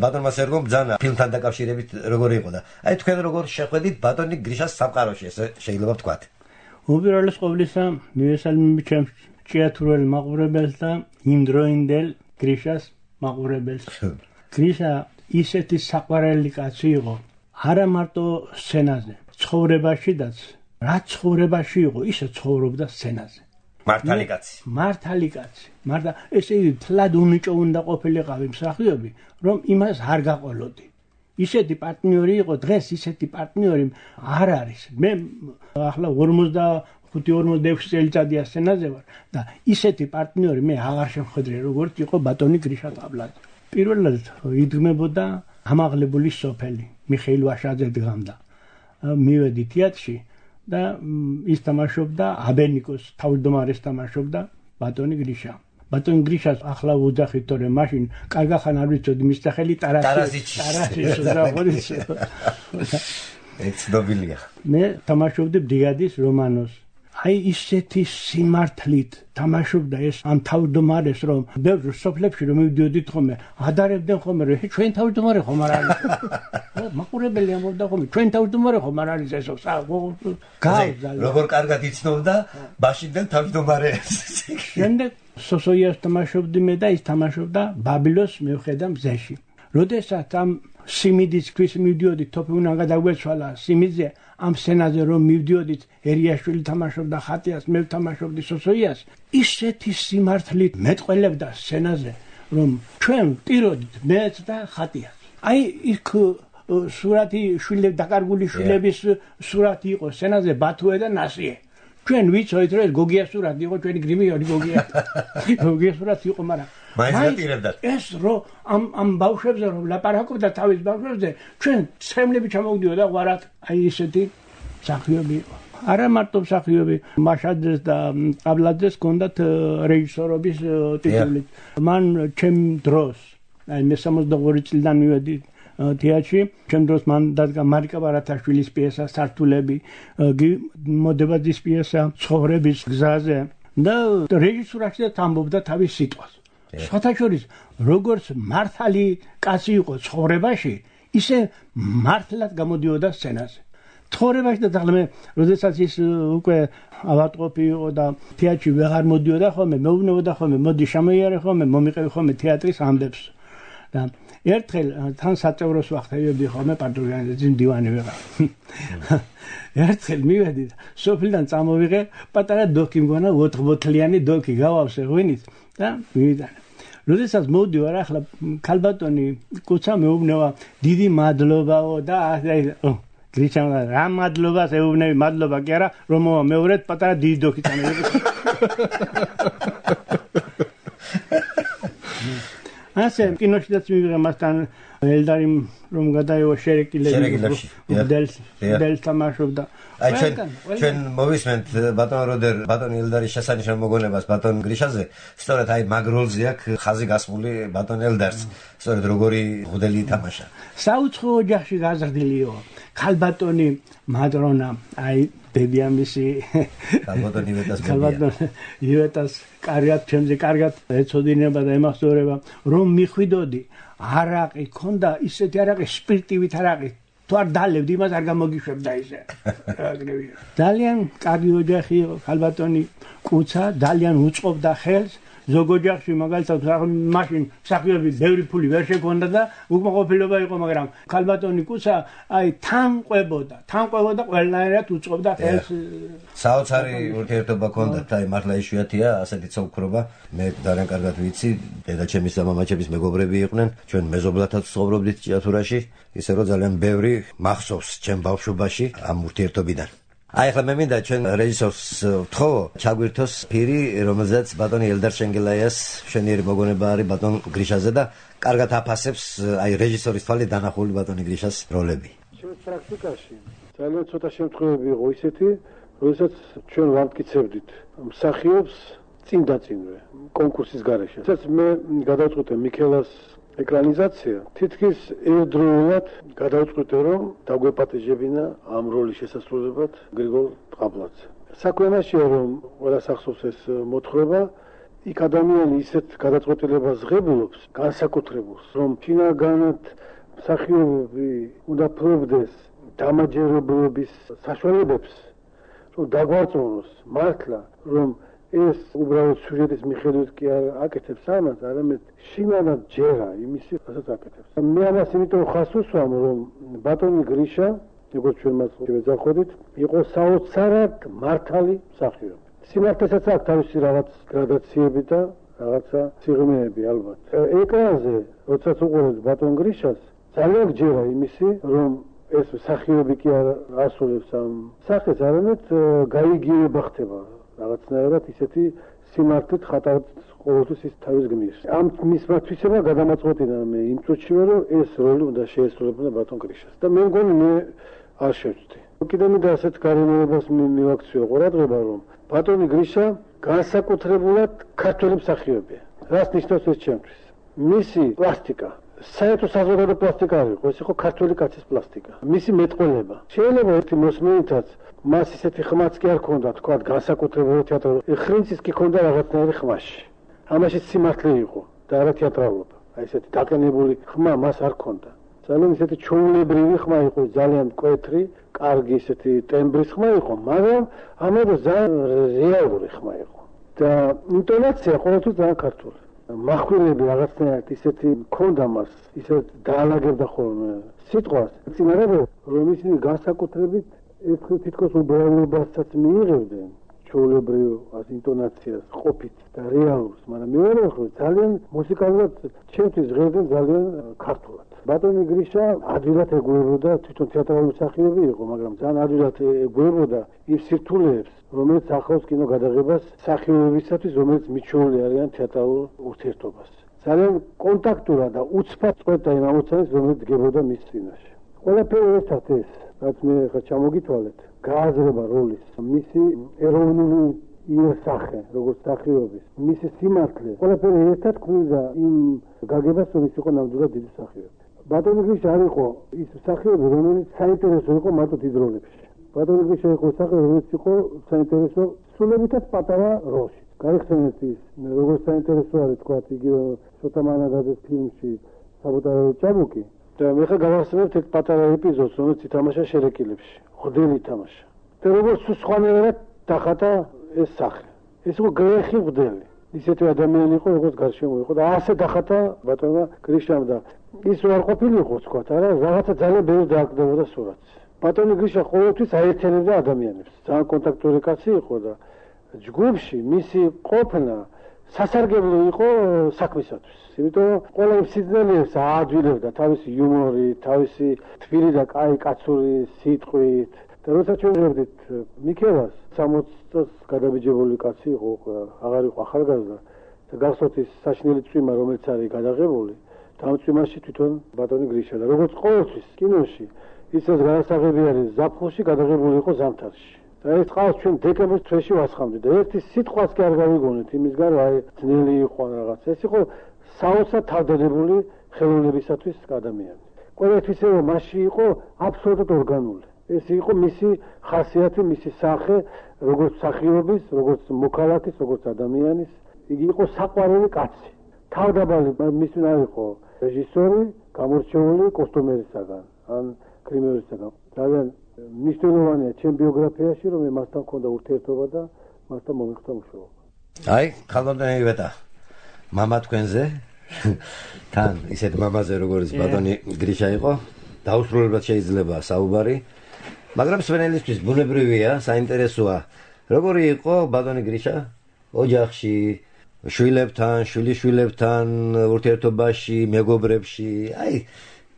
ბატონმა სერგომ ბრძანა ფილმთან დაკავშირებით როგორი იყო და აი თქვენ როგორ შეხვედით ბატონი გრიშას სამყაროში, ესე შეიძლება ვთქვათ. უპირველეს ყოვლისა მივესალმები ჩემს თეატრულ მაყურებელს და იმდროინდელ გრიშას მაყურებელს. გრიშა ისეთი საყვარელი კაცი იყო, არა მარტო სცენაზე, ცხოვრებაშიდაც, რაც ცხოვრებაში იყო, ისე ცხოვრობდა სცენაზე. მართალი კაცი. მართალი კაცი. მარდა ესე იგი თლად უნიჭო უნდა ყოფილიყავი მსახიობი, რომ იმას არ გაყოლოდი. ისეთი პარტნიორი იყო, დღეს ისეთი პარტნიორი არ არის. მე ახლა ორმოცდახუთი ორმოცდაექვსი წელიწადია სცენაზე ვარ და ისეთი პარტნიორი მე აღარ შემხედრე, როგორც იყო ბატონი გრიშა ყაბლაძე. პირველად იდგმებოდა ამაღლებული სოფელი, მიხეილ ვაშაძე დგამდა. მივედი თეატრში და ის თამაშობდა აბენიკოს, თავმჯდომარეს თამაშობდა ბატონი გრიშა. ბატონ გრიშას ახლა ვუძახით, თორემ მაშინ კარგახან არ ვიცოდი მის სახელი ტარაზიჩი. ტარაზიჩი და ხოდის. ეს ცნობილია. მე თამაშობდი ბრიგადის რომანოს. აი ისეთი სიმართლით თამაშობდა ეს ამ თავმჯდომარეს, რომ ბევრ სოფლებში რომ მივდიოდით ხომე, ადარებდნენ ხომე, რომ ჩვენ თავმჯდომარე ხომ არ არის. მაყურებელი ამბობდა ხომე, ჩვენ თავმჯდომარე ხომ არ არის ესო. გავზალ. როგორ კარგად იცნობდა მაშინდელ თავმჯდომარეს. შემდეგ სოსოიას თამაშობდი მე და ის თამაშობდა ბაბილოს მევხედა მზეში. როდესაც ამ სიმიდის ქვის მივდიოდით, თოფი უნდა გადაგვეცვალა სიმიდზე, ამ სცენაზე რომ მივდიოდით, ერიაშვილი თამაშობდა ხატიას, მე ვთამაშობდი სოსოიას, ისეთი სიმართლით მეტყველებდა სცენაზე, რომ ჩვენ ვტიროდით მეც და ხატიას. აი იქ სურათი შვილები, დაკარგული შვილების სურათი იყო სცენაზე, ბათუე და ნასიე. ჩვენ ვიცოდით, რომ ეს გოგია სურათი იყო, ჩვენი გრიმიონი გოგია. გოგია სურათი იყო, მაგრამ მაინტერესებდა. ეს რო ამ ამ ბავშვებზე რომ ლაპარაკობდა თავის ბავშვებზე, ჩვენ ცემლები ჩამოვდიოდა ღვარად, აი ესეთი მსახიობი იყო. არა მარტო მსახიობი, მაშაძეს და ყაბლაძეს ჰქონდათ რეჟისორობის ტიტული. მან ჩემ დროს, აი მე სამოცდაორი წლიდან მივედი თეატრში. ჩემ დროს მან დადგა მარიკა ბარათაშვილის პიესა სართულები, მოდებაძის პიესა ცხოვრების გზაზე და რეჟისურაში ამბობდა თავის სიტყვას. სხვათა შორის როგორც მართალი კაცი იყო ცხოვრებაში, ისე მართლად გამოდიოდა სცენაზე. ცხოვრებაში და თაღლე როდესაც ის უკვე ავატყოფი იყო და თეატრში ვეღარ მოდიოდა ხოლმე, მეუბნებოდა ხოლმე, მოდი შემოიარე ხოლმე, მომიყევი ხოლმე თეატრის ამბებს. და ერთხელ თან საწევროს ვახტევიებდი ხოლმე პარტიზანების მდივანი ვიყავ. ერთხელ მივედი და სოფლიდან წამოვიღე პატარა დოქი მგონა ოთხ ბოთლიანი დოქი გავავსე ღვინით და მივიდანე. როდესაც მოვდივარ ახლა ქალბატონი კუცა მეუბნება დიდი მადლობაო და აი გრიჩამ რა მადლობას ეუბნები მადლობა კი არა რომ მეორედ პატარა დიდი დოქი წამოვიღე. ასე კინოშიც მივიღე მასთან ელდარი რომ გადაევა შერეკილებში დელს დელს თამაშობდა. აი ჩვენ ჩვენ მოვისმენთ ბატონ როდერ ბატონ ელდარის შესანიშნავ მოგონებას ბატონ გრიშაზე, სწორედ აი მაგ როლზე აქვს ხაზი გასმული ბატონ ელდარს, სწორედ როგორი ღუდელი ითამაშა. საუცხო ოჯახში გაზრდილიო ქალბატონი მადრონა აი ბებიამისი ქალბატონი ივეტას ქალბატონი ივეტას კარგად ჩემზე კარგად ეცოდინება და ემახსოვრება რომ მიხვიდოდი არაყი ქონდა ისეთი არაყი სპირტივით არაყი თუ არ დალებდი იმას არ გამოგიშვებდა ისე. ძალიან კარგი ოჯახი იყო ქალბატონი კუცა ძალიან უწყობდა ხელს ზოგ ოჯახში მაგალითად მაშინ მსახიობი ბევრი ფული ვერ შეგონდა და უკმაყოფილება იყო მაგრამ ქალბატონი კუცა აი თან ყვებოდა თან ყვებოდა ყველანაირად უწყობდა ხელს. საოცარი ურთიერთობა ჰქონდათ აი მართლა იშვიათია ასეთი ცოლქრობა. მე ძალიან კარგად ვიცი დედაჩემის და მამაჩემის მეგობრები იყვნენ ჩვენ მეზობლათაც ცხოვრობდით ჭიათურაში ისე რომ ძალიან ბევრი მახსოვს ჩემ ბავშვობაში ამ ურთიერთობიდან. აი ახლა მე მინდა ჩვენ რეჟისორს ვთხოვო ჩაგვირთოს ფირი რომელზეც ბატონი ელდარ შენგელაიას მშვენიერი მოგონება არის ბატონ გრიშაზე და კარგად აფასებს აი რეჟისორის თვალით დანახული ბატონი გრიშას როლები. ჩვენ პრაქტიკაში ძალიან ცოტა შემთხვევები იყო ისეთი როდესაც ჩვენ ვამტკიცებდით მსახიობს წინ დაწინვე კონკურსის გარეშე. სადაც მე გადავწყვიტე მიქელას ეკრანიზაცია თითქოს ერთდროულად გადავწყვიტე რომ დაგვეპატეჟებინა ამ როლის შესასრულებლად გრიგოლ ტყაბლაძე. საქმეშია რომ ყველას ახსოვს ეს მოთხრობა იქ ადამიანი ისეთ გადაწყვეტილებას ღებულობს განსაკუთრებულს რომ ფინალგანად მსახიობები უნდა ფლობდეს დამაჯერებლობის საშუალებებს რომ დაგვარწმუნოს მართლა რომ ეს უბრალოდ სიუჟეტის მიხედვით კი არ აკეთებს ამას, არამედ შინაგან ჯერა იმისი, რასაც აკეთებს. მე ამას იმიტომ ხას უსვამ, რომ ბატონი გრიშა, როგორც ჩვენ მას ვეძახოდით, იყო საოცარად მართალი მსახიობი. სიმართლესაც აქვს თავისი რაღაც გრადაციები და რაღაცა სიღრმეები ალბათ. ეკრანზე, როდესაც უყურებთ ბატონ გრიშას, ძალიან ჯერა იმისი, რომ ეს მსახიობი კი არ ასრულებს ამ სახეს, არამედ გაიგივება ხდება. რაღაცნაირად ისეთი სიმართლით ხატავთ ყოველთვის ის თავის გმირს. ამ მისმა თვისება გადამაწყვეტინა მე იმ წუთში რომ ეს როლი უნდა შეესრულებინა ბატონ გრიშას და მე მგონი მე არ შევწდი. კიდევ მე ასეთ გარემოებას მივაქციო ყურადღება რომ ბატონი გრიშა განსაკუთრებულად ქართველი მსახიობია. რას ნიშნავს ეს ჩემთვის? მისი პლასტიკა საერთო საზოგადო პლასტიკა არ იყო, ეს იყო ქართული კაცის პლასტიკა. მისი მეტყველება. შეიძლება ერთი მოსმენითაც მას ისეთი ხმაც კი არ ქონდა, თქვა განსაკუთრებული თეატრალური. ხრინცის კი ქონდა რაღაცნაირი ხმაში. ამაში სიმართლე იყო და არა თეატრალობა. აი ესეთი დაკენებული ხმა მას არ ქონდა. ძალიან ისეთი ჩვეულებრივი ხმა იყო, ძალიან მკვეთრი, კარგი ისეთი ტემბრის ხმა იყო, მაგრამ ამავე ძალიან რეალური ხმა იყო. და ინტონაცია ყოველთვის ძალიან ქართული. מחვილები რაღაცნაირად ისეთი ქონდა მას, ისეთ დაალაგებდა ხოლმე სიტყვას. წინარევე რომ ისინი განსაკუთრებით ეს თითქოს უბრალობასაც მიიღებდნენ ჩვეულებრივ ინტონაციას, ყოფით და რეალურს, მაგრამ მეორე ხო ძალიან მუსიკალურად ჩემთვის ჟღერდნენ ძალიან ქართულად. ბატონი გრიშა ადვილად ეგუებოდა თვითონ თეატრალური მსახიობი იყო, მაგრამ ძალიან ადვილად ეგუებოდა იმ სირთულეებს, რომელიც ახლავს კინო გადაღებას მსახიობებისათვის, რომელიც მიჩვეული არიან თეატრალურ ურთიერთობას. ძალიან კონტაქტურა და უცბად წყვეტა იმ ამოცანებს, რომელიც დგებოდა მის წინაშე. ყველაფერი ერთად ეს, რაც მე ხა ჩამოგითვალეთ, გააზრება როლის, მისი ეროვნული იერსახე, როგორც მსახიობის, მისი სიმართლე, ყველაფერი ერთად ქმნიდა იმ გაგებას, რომ ის იყო ნამდვილად დიდი მსახიობი. ბატონი გრიშა არ იყო ის მსახიობი, რომელიც საინტერესო იყო მარტო დიდ როლებში. ბატონი გრიშა იყო მსახიობი, რომელიც იყო საინტერესო სულებითაც პატარა როლში. გაიხსენეთ ის, როგორც საინტერესო არის თქვა იგი ცოტა მანაგაძის ფილმში საბოტაჟო ჭაბუკი. და მე ხა გავახსენებთ ერთ პატარა ეპიზოდს, რომელიც ითამაშა შერეკილებში. ღვთელი ითამაშა. და როგორც სხვანაირად დახატა ეს სახე. ეს იყო გრეხი ღვთელი. ისეთი ადამიანი იყო, როგორც გარშემო იყო და ასე დახატა ბატონმა გრიშამ და ის არ ყოფილიყო თქვა, არა, რაღაცა ძალიან ბევრი დააკდებოდა სურათს. ბატონი გრიშა ყოველთვის აერთიანებდა ადამიანებს. ძალიან კონტაქტური კაცი იყო და ჯგუფში მისი ყოფნა სასარგებლო იყო საქმისათვის. იმიტომ ყველა სიძნელეებს აადვილებდა თავისი იუმორით, თავისი თბილი და კაი კაცური სიტყვით. და როცა ჩვენ ვხედით მიქელას სამოცი წელს გადაბიჯებული კაცი იყო, აღარ იყო ახალგაზრდა და გახსოვთ ის საშინელი წვიმა, რომელიც არის გადაღებული, ამ წვიმაში თვითონ ბატონი გრიშა და როგორც ყოველთვის კინოში ისაც განასაღები არის ზაფხულში გადაღებული იყო ზამთარში. და ეს ყავს ჩვენ დეკემბრის თვეში ვასხამდით და ერთი სიტყვას კი არ გავიგონეთ იმისგან, რომ აი ძნელი იყო რაღაც. ეს იყო საოცრად თავდადებული ხელოვნებისათვის ადამიანი. ყველაფერს რომ მასში იყო აბსოლუტურად ორგანული. ეს იყო მისი ხასიათი, მისი სახე, როგორც მსახიობის, როგორც მოქალაქის, როგორც ადამიანის. იგი იყო საყვარელი კაცი. თავდაბალი მისი არ იყო რეჟისორი, გამორჩეული კოსტუმერისაგან, ან გრიმერისაგან. ძალიან მნიშვნელოვანია ჩემ ბიოგრაფიაში, რომ მე მასთან მქონდა ურთიერთობა და მასთან მომიხდა მუშაობა. აი, ხალხოდან ივეტა. მამა თქვენზე, თან ისეთ მამაზე, როგორც ბატონი გრიშა იყო, დაუსრულებლად შეიძლება საუბარი. მაგრამ სვენელისთვის ბუნებრივია, საინტერესოა. როგორი იყო ბატონი გრიშა ოჯახში, შვილებთან, შვილიშვილებთან, ურთიერთობაში, მეგობრებში, აი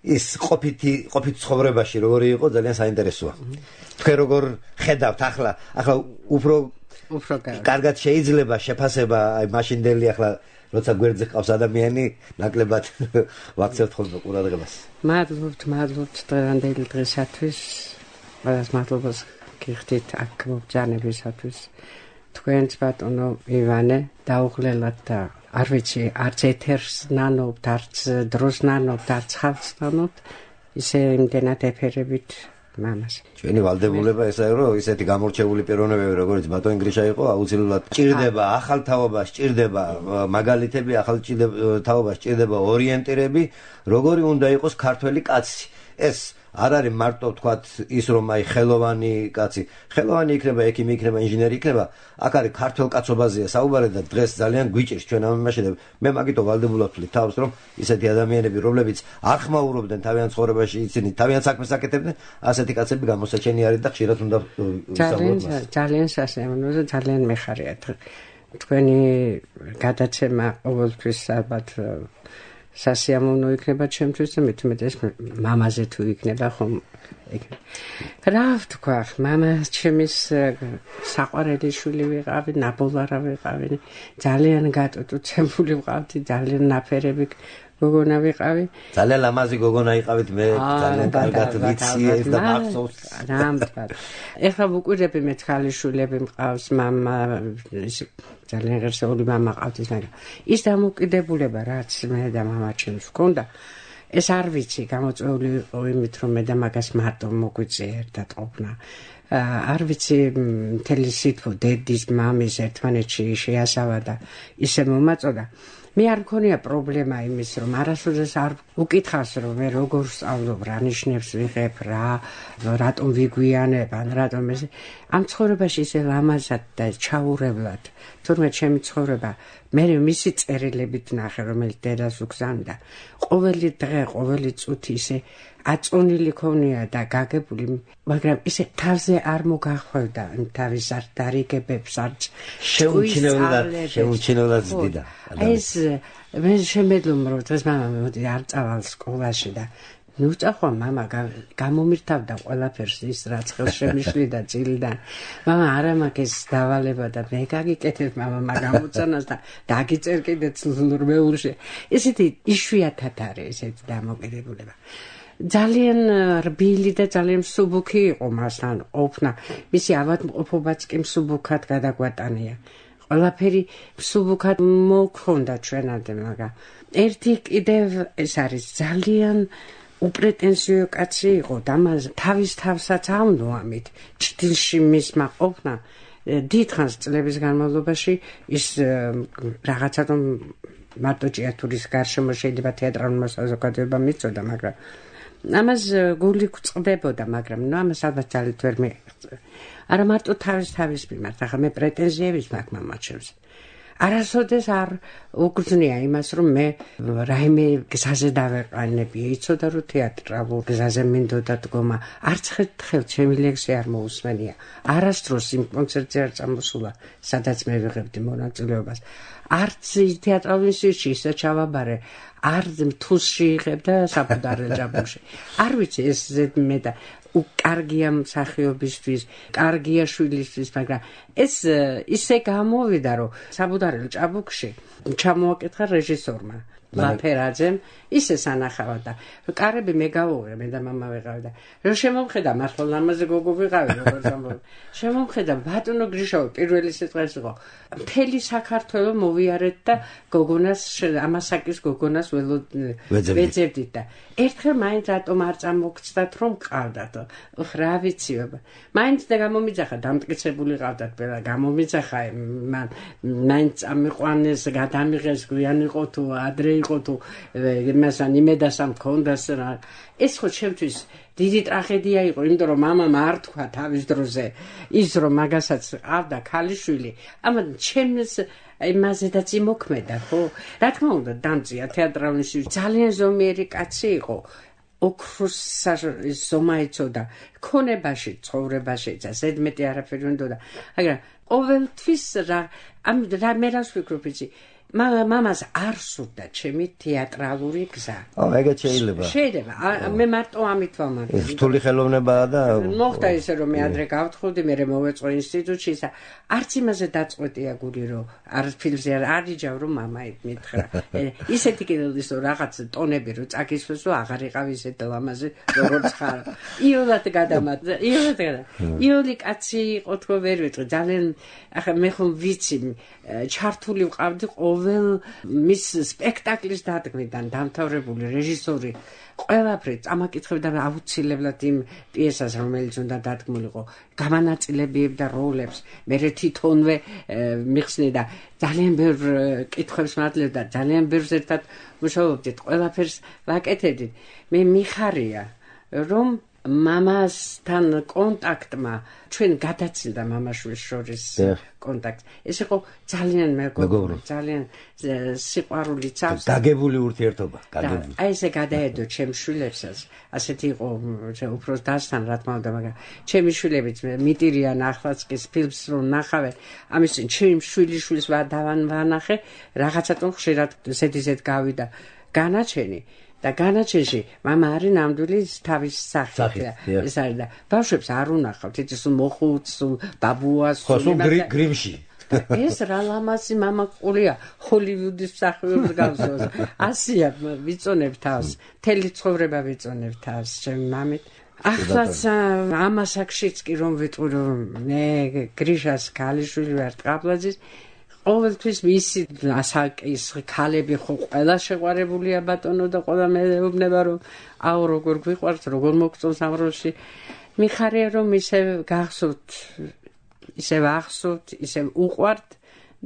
ის ყოფითი ყოფით ცხოვრებაში როგორი იყო ძალიან საინტერესოა. თქვენ როგორ ხედავთ ახლა, ახლა უფრო უფრო კარგად შეიძლება შეფასება აი მაშინდელი ახლა როცა გვერდზე ყავს ადამიანი, ნაკლებად ვაქცევთ ხოლმე ყურადღებას. მადლობთ, მადლობთ დღევანდელი დღესათვის. მას მადლობას გიხდით აქ მობრძანებისათვის. თქვენს ბატონო ივანე დაუღლელად და არ ვიცი, არც ეთერს ნანობთ, არც დროს ნანობთ, არც ხალხს ნანობთ, ისე იმდენად ეფერებით მამას. ჩვენი ვალდებულება ესაა, რომ ისეთი გამორჩეული პიროვნებები, როგორც ბატონი გრიშა იყო, აუცილებლად ჭირდება ახალ თაობას, ჭირდება მაგალითები, ახალ თაობას ჭირდება ორიენტირები, როგორი უნდა იყოს ქართველი კაცი. ეს არ არის მარტო თქვათ ის რომ აი ხელოვანი კაცი, ხელოვანი იქნება, ექიმი იქნება, ინჟინერი იქნება, აქ არის ქართულ კაცობაზეა საუბარი და დღეს ძალიან გვიჭირს ჩვენ ამ იმაში და მე მაგითო ვალდებულად ვთვლი თავს, რომ ისეთი ადამიანები, რომლებიც არ ხმაურობდნენ თავიანთ ცხოვრებაში, ისინი თავიანთ საქმეს აკეთებდნენ, ასეთი კაცები გამოსაჩენი არის და ხშირად უნდა ძალიან ძალიან სასიამოვნო და ძალიან მეხარია თქვენი გადაცემა ყოველთვის ალბათ სასიამოვნო იქნება ჩემთვის და მეტმეტეს მამაზე თუ იქნება ხომ რა ვთქვა, მამა ჩემის საყვარელი შვილი ვიყავი, ნაბოლარა ვიყავი, ძალიან გატოტუცებული ვყავდი, ძალიან ნაფერები გოგონა ვიყავი. ძალიან ლამაზი გოგონა იყავით, მე ძალიან კარგად ვიცი ეს და მახსოვს. რამთვად. ეხლა ვუკვირდები მე ქალიშვილები მყავს, მამა ძალიან ღირსეული მამა ყავთ, მაგრამ ის დამოკიდებულება რაც მე და მამა ჩემს ვქონდა, ეს არ ვიცი, გამოწვეული იყო იმით, რომ მე და მაგას მარტო მოგვიწია ერთად ყოფნა. არ ვიცი, მთელი სიტყვა დედის, მამის ერთმანეთში შეასავა და ისე მომაწოდა. მე არ მქონია პრობლემა იმის, რომ არასოდეს არ უკითხავს, რომ მე როგორ სწავლობ, რა ნიშნებს ვიღებ, რა, რატომ ვიგვიანებ, ან რატომ ეს. ამ ცხოვრებაში ისე ლამაზად და ჩაურევლად, თურმე ჩემი ცხოვრება, მე მისი წერილებით ნახე, რომელიც დედას უგზავნიდა. ყოველი დღე, ყოველი წუთი ისე აწონილი ქონია და გაგებული, მაგრამ ისე თავზე არ მოგახვევდა თავის არ დარიგებებს, არ შეუმჩნევლად, შეუმჩნევლად ზდიდა. ეს მე შემეძლო რომ დღეს მამა მოდი არ წავალ სკოლაში და ნუ წახვა მამა გამომირთავდა ყველაფერს ის რაც ხელს შემიშლიდა ძილიდან. მამა არა მაგის დავალება და მე გაგიკეთებ მამა მაგ ამოცანას და დაგიწერ კიდე ცლურმეულში. ესეთი იშვიათად არის ესეთი დამოკიდებულება. ძალიან რბილი და ძალიან მსუბუქი იყო მასთან ყოფნა. მისი ავადმყოფობაც კი მსუბუქად გადაგვატანია. ყველაფერი მსუბუქად მოქონდა ჩვენამდე, მაგრამ ერთი კიდევ ეს არის ძალიან უპრეტენზიო კაცი იყო და მას თავის თავსაც ავნო ამით ჭდილში მისმა ყოფნა დიდხანს წლების განმავლობაში ის რაღაცა რომ მარტო ჭიათურის გარშემო შეიძლება თეატრალურმა საზოგადოებამ მიწოდა მაგრამ ამას გული გვწყდებოდა მაგრამ ნუ ამას ალბათ ძალით ვერ მიიღწევ არა მარტო თავის თავის მიმართ ახლა მე პრეტენზიების მაქვს მამაჩემს არასოდეს არ უგრძნია იმას რომ მე რაიმე გზაზე დავეყანები იცოდა რომ თეატრალურ გზაზე მინდოდა დგომა არც ხელთ ჩემი ლექსი არ მოусმენია არასდროს იმ კონცერტზე არ წამოსულა სადაც მე ვიღებდი მონაწილეობას არც თეატრალურ ინსტიტუტში ისე ჩავაბარე არ თუსში იღებდა საბუდარელ ჭაბუკში არ ვიცი ეს ზედმე და უკარგია მსახიობისთვის, კარგია შვილისთვის, მაგრამ ეს ისე გამოვიდა, რომ საბუდარელ ჭაბუკში ჩამოაკითხა რეჟისორმა ლაფერაძემ, ისე სანახავდა და კარები მე გავუღე, მე და მამა ვიყავი და რომ შემომხედა მართლა ლამაზე გოგო ვიყავი, როგორც ამბობ. შემომხედა ბატონო გრიშოვი პირველი სიტყვა ეს იყო. მთელი საქართველო მოვიარეთ და გოგონას ამასაკის გოგონას ვეძებდით და ერთხელ მაინც რატომ არ წამოგცდათ რომ ყავდათ რა ვიციობა მაინც და გამომიძახა დამტკიცებული ყავდათ ყველა გამომიძახა მან მაინც ამიყვანეს გადამიღეს გვიან იყო თუ ადრე იყო თუ იმასან იმედასამ მქონდას რა ეს ხო ჩემთვის დიდი ტრაგედია იყო იმიტომ რომ მამამ არ თქვა თავის დროზე ის რომ მაგასაც ყავდა ქალიშვილი ამან ჩემს იმაზედაც იმოქმედა ხო რა თქმა უნდა დამწია თეატრალში ძალიან ზომიერი კაცი იყო ოქროს ზომა იცოდა ქონებაში ცხოვრებაში და ზედმეტი არაფერი უნდოდა მაგრამ ყოველთვის რა ამ რა მე რას ვფიქრობ იცი მამას არ სურდა ჩემი თეატრალური გზა. ო, ეგეც შეიძლება. შეიძლება. მე მარტო ამით ვამბობ. რთული ხელოვნებაა და მოხდა ისე რომ მე ადრე გავთხოვდი, მე მოვეწყო ინსტიტუტში და არც იმაზე დაწყვეტია გული რომ არ ფილმზე არ არიჯავ რომ მამა მითხრა. ისეთი კიდეც რომ რაღაც ტონები რომ წაკისვეს რომ აღარ იყავ ისეთ ლამაზე როგორც ხარ. იოლად გადამატ. იოლად გადა. იოლი კაცი იყო თქო ვერ ვიტყვი. ძალიან ახლა მე ხომ ვიცი ჩართული ვყავდი ყოველ მის სპექტაკლის დადგმიდან დამთავრებული რეჟისორი ყველაფერი წამაკითხებდა აუცილებლად იმ პიესას რომელიც უნდა დადგმულიყო გამანაწილებებდა როლებს მე თვითონვე მიხსნი და ძალიან ბევრ კითხვებს მადლებდა ძალიან ბევრს ერთად მუშაობდით ყველაფერს ვაკეთებდით მე მიხარია რომ მამასთან კონტაქტმა ჩვენ გადაცილდა მამაშვილის შორის კონტაქტს ეს იყო ძალიან მეგობრი ძალიან სიყვარული წავს გაგებული ურთიერთობა გაგებული აი ესე გადაედო ჩემს შვილებსაც ასეთი იყო უფრო დასთან რა თქმა უნდა მაგრამ ჩემი შვილებიც მიტირიან ახლაც კი ფილმს რომ ნახავე ამის ჩემი შვილიშვილს დავანახე რაღაცა თქო ხშირად ზედიზედ გავიდა განაჩენი და განაჩენში მამა არის ნამდვილი თავის სახით ეს არის და ბავშვებს არ უნახავთ იცის მოხუც ბაბუას ხო გრიმში ეს რა ლამაზი მამა ყულია ჰოლივუდის მსახიობს გავსოს ასია ვიწონებ თავს მთელი ცხოვრება ვიწონებ თავს ჩემი მამით ახლაც ამასაკშიც კი რომ ვიტყვი რომ მე გრიშას ქალიშვილი ვარ ტყაბლაძის ყოველთვის მისი ასაკის ქალები ხო ყველა შეყვარებულია ბატონო და ყველა მეუბნება რომ აუ როგორ გვიყვართ როგორ მოგწონს ამ როლში მიხარია რომ ისე გახსოვთ ისე ვახსოვთ ისე უყვართ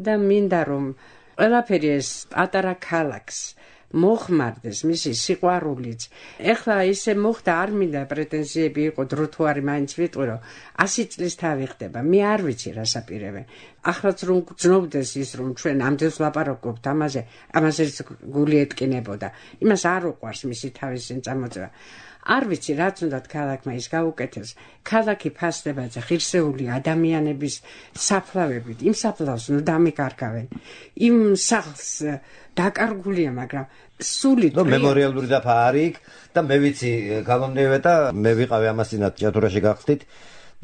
და მინდა რომ ყველაფერი ეს პატარა ქალაქს მოხმარდეს მისი სიყვარულიც ეხლა ისე მოხდა არ მინდა პრეტენზიები იყო დრო თუ არის მაინც ვიტყვი რომ ასი წლის თავი ხდება მე არ ვიცი რა საპირებე ახლაც რომ გძნობდეს ის რომ ჩვენ ამდენს ვლაპარაკობთ ამაზე ამაზეც გული ეტკინებოდა იმას არ უყვარს მისი თავისინ წამოწევა არ ვიცი რაც უნდა ქალაქმა ის გაუკეთეს ქალაქი ფასდება და ღირსეული ადამიანების საფლავებით იმ საფლავს ნუ დამიკარგავენ იმ სახლს დაკარგულია მაგრამ სული ნუ მემორიალური დაფა არის და მე ვიცი გამომდევე და მე ვიყავი ამასინად ჭიათურაში გახსნით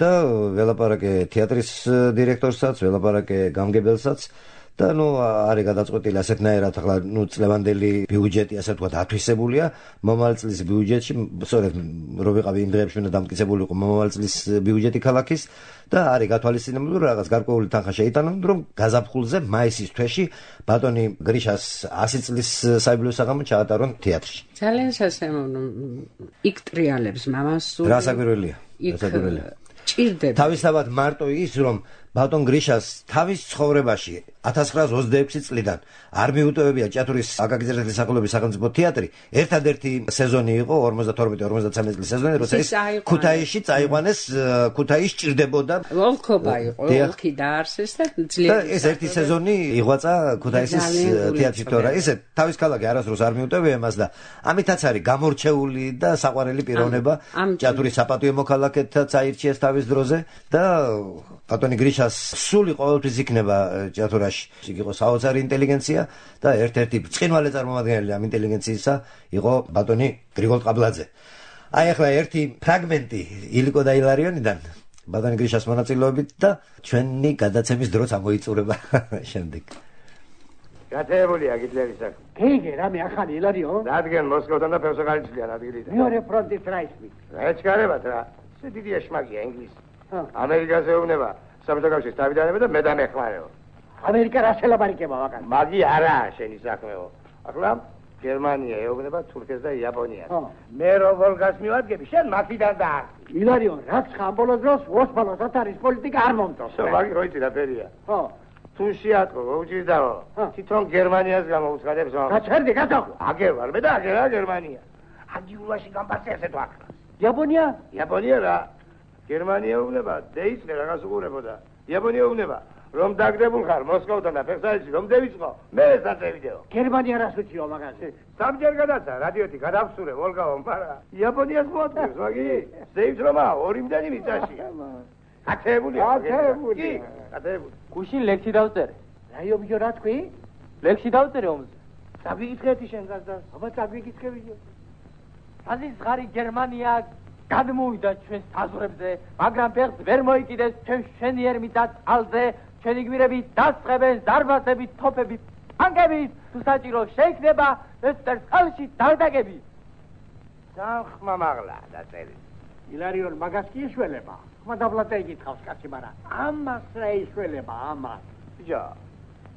და ველაპარაკე თეატრის დირექტორსაც ველაპარაკე გამგებელსაც და ნუ არის გადაწყვეტილი ასეთნაირად ახლა ნუ წლევანდელი ბიუჯეტი ასე ვთქვათ ათვისებულია მომავალ წლის ბიუჯეტში სწორედ რო ვიყავი იმ დღეებში უნდა დამტკიცებული იყო მომავალ წლის ბიუჯეტი ქალაქის და არის გათვალისწინებული რომ რაღაც გარკვეული თანხა შეიტანონ რომ გაზაფხულზე მაისის თვეში ბატონი გრიშას ასი წლის საიუბილეო საღამო ჩაატარონ თეატრში. ძალიან სასიამოვნო იქ ტრიალებს მამას სულ რა საკვირველია რა საკვირველია ჭირდება თავისთავად მარტო ის რომ ბატონ გრიშას თავის ცხოვრებაში ათას ცხრაას ოცდაექვსი წლიდან არ მიუტოვებია ჭიათურის აკაკი წერეთლის სახელობის სახელმწიფო თეატრი ერთადერთი სეზონი იყო ორმოცდათორმეტი ორმოცდათვრამეტი წლის სეზონი როცა ის ქუთაისში წაიყვანეს ქუთაისში ჭირდებოდა ოლქობა იყო ოლქი დაარსეს და ძლიერი ეს ერთი სეზონი იღვაწა ქუთაისის თეატრში თორე ისე თავის ქალაქი არასდროს არ მიუტოვებია მას და ამითაც არის გამორჩეული და საყვარელი პიროვნება ჭიათურის საპატიო მოქალაქეთაც აირჩიეს თავის დროზე და ბატონი გრიშას სული ყოველთვის იქნება ჭიათურაში. იქ იყო საოცარი ინტელიგენცია და ერთ-ერთი ბრწყინვალე წარმომადგენელი ამ ინტელიგენციისა იყო ბატონი გრიგოლ ყაბლაძე. აი ახლა ერთი ფრაგმენტი ილიკო და ილარიონიდან ბატონი გრიშას მონაწილეობით და ჩვენი გადაცემის დროც ამოიწურება შემდეგ. გათეებულია გიტლერის აქ. გიგე რამე ახალი ილარიო? რადგან მოსკოვთან და ფევსოგალიცლიან ადგილიდან. მეორე ფრონტის რაისმით. ეჩქარებათ რა. ეს დიდი ეშმაკია ინგლისი. ამერიკაზე ეუბნება საბჭოთა კავშირის თავიდანები და მე დამეხმარეო. ამერიკა რა შელაბარიკება ვაკან? მაგი არაა შენი საქმეო. ახლა გერმანია ეუბნება თურქეთს და იაპონიას. მე რო ვოლგას მივადგები, შენ მაქიდან დაარსი. ილარიო, რაც ხამბოლოს დროს ოსმალოს ათარის პოლიტიკა არ მომწონს. შო, მაგი როიცი რა ფერია? ხო. თუ შეატყო, უჭირდაო. თვითონ გერმანიას გამოუცხადებს მაგ. გაჩერდი, გადახო. აგერ ვარ, მე და აგერა გერმანია. აგიულაში გამბარცე ესე თუ აქ. იაპონია? იაპონია რა. გერმანია უნება დეიცნე რაღაც უყურებოდა. იაპონია უნება რომ დაგდებულ ხარ მოსკოვთან და ფეხსაჯში რომ დევიწყო მე ესაც ევიდეო. გერმანია რას უჩიო მაგაზე? სამჯერ გადაცა რადიოთი გადავსურე ვოლგავო მაგრამ იაპონიას მოაწევს მაგი ზეივს რომა ორი მდენი მიწაში. ათეებულია. ათეებული. ათეებული. გუშინ ლექსი დავწერე. რაიობიო რა თქვი? ლექსი დავწერე ომზე. დაგვიკითხეთი შენ გაზდას. აბა დაგვიკითხებიო. აზის ღარი გერმანია გადმოვიდა ჩვენს საზღვრებზე, მაგრამ ფეხს ვერ მოიკიდეს ჩვენ შენიერ მიწა წყალზე, ჩვენი გვირები დასწრებენ ზარბაზებით, თოფებით, ტანკებით, თუ საჭირო შეიქნება ვესტერს ხალხში დაგდაგები. სახმა მაღლა დაწერი. ილარიონ მაგას კი ეშველება. ხმა დაბლატე იკითხავს კაცი, მაგრამ ამას რა ეშველება ამას? ბიჭო,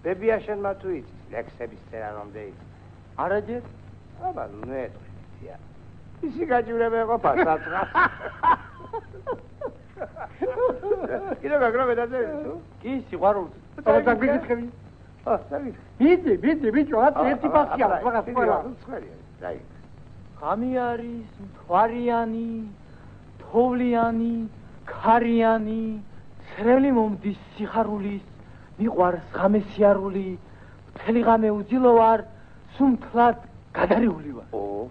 ბებია შენმა თუ იცის ლექსების წერა რომ დაიცი? არაჯერ? აბა ნუ ეტყვია. ისი გაჭირება ეყოფა საწყას. კიდევ გაგროვე დაწერე თუ? კი, სიყვარულს. აბა დაგვიკითხები. აა, დავით. ბიძი, ბიძი, ბიჭო, ათი ერთი პასია, მაგას ყველა. დაი. ღამი არის მთვარიანი, თოვლიანი, ქარიანი, ცრემლი მომდის სიხარულის, მიყვარს ღამე სიარული, მთელი ღამე უძილო ვარ, სუმთლად გადარეული ვარ. ო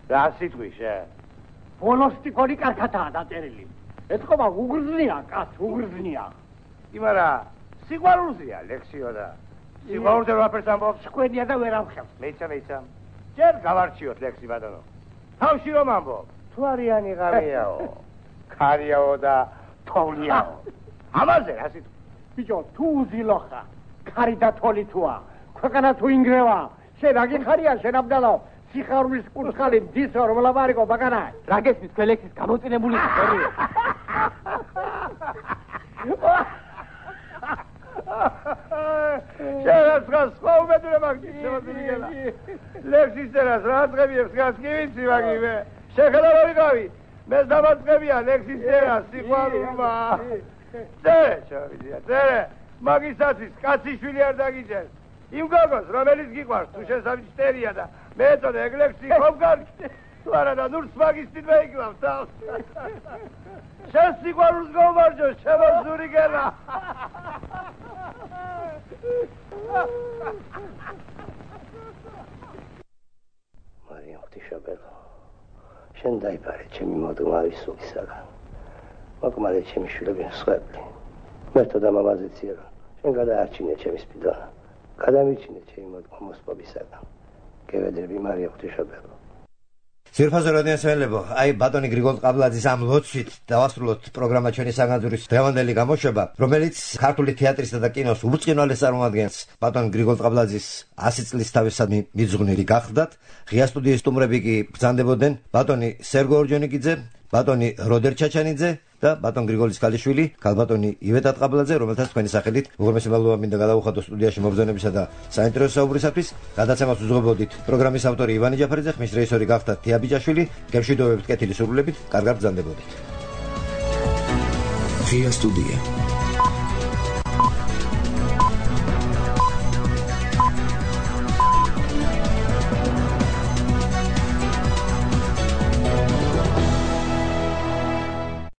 რა სიტყვი შენ? ბოლოსტიკორი კარგადაა დაწერილი. ეთქობა უგრძნია, კაც უგრძნია. იმარა სიყვარულზეა ლექსიო და სიყვარულზე რაფერს ამბობს? სკვენია და ვერ ამხელს. მეცა მეცა. ჯერ გავარჩიოთ ლექსი ბატონო. თავში რომ ამბობ? თვარიანი ღამეაო. ქარიაო და თოვლიაო. ამაზე რა სიტყვი? ბიჭო, თუ უძილო ხარ, ქარი და თოლი თუა, ქვეყანა თუ ინგრევა, შენ აგიხარია შენ აბდალო. სიხარულის კურცხალი მდისო რომ ლაბარიკო ბაგანა. რა გესმის ქველექსის გამოწინებული სტორია? შენაც ხას ხო უმედრება გიჩემოდგენა. ლექსის წერას რა წღებიებს გას კი ვიცი მაგიმე. შეხედა რა ვიყავი? მე დამაწყებია ლექსის წერას სიყვარულმა. წერე ჩავიდია, წერე. მაგისაცის კაციშვილი არ დაგიჭერს. იმ გოგოს რომელიც გიყვარს თუ შესამჩტერია და მე ეწოდე ეგლექსი ხომგან თუ არა და ნურს მაგისტით მეიკლავს თავს. შენ სიყვარულს გომარჯო შემოზური გელა. მარიამ ღვთისმშობელო, შენ დაიბარე ჩემი მოდღმარი სულისაგან, მოკმარე ჩემი შვილები მსხვერპლი, მერთო და მამაზეცია რომ შენ გადაარჩინე ჩემი სპიდონა, გადამიჩინე ჩემი მოდღმა მოსპობისაგან. გევედრები მარიამ ღვთისმშობელო. ძირფაზო რადიოსმენელებო, აი ბატონი გრიგოლ ყაბლაძის ამ ლოცვით დავასრულოთ პროგრამა ჩვენი საგანძურის დღევანდელი გამოშვება, რომელიც ქართული თეატრისა და კინოს ურწყინვალეს წარმოადგენს. ბატონ გრიგოლ ყაბლაძის ასი წლის თავისადმი მიძღვნილი გახდათ. ღია სტუდიის სტუმრები კი ბრძანდებოდნენ ბატონი სერგო ორჯონიკიძე, ბატონი როდერ ჩაჩანიძე და ბატონ გრიგოლის ქალიშვილი, ქალბატონი ივეტა ყაბლაძე, რომელთაც თქვენი სახელით უღრმესი მადლობა მინდა გადავუხადო სტუდიაში მობრძანებისა და საინტერესო საუბრისათვის. გადაცემას უძღვებოდით პროგრამის ავტორი ივანე ჯაფარიძე, ხმის რეჟისორი გახდა თია ბიჭაშვილი. გემშვიდობებით, კეთილი სურვილებით, კარგად ბრძანდებოდით. ღია სტუდია.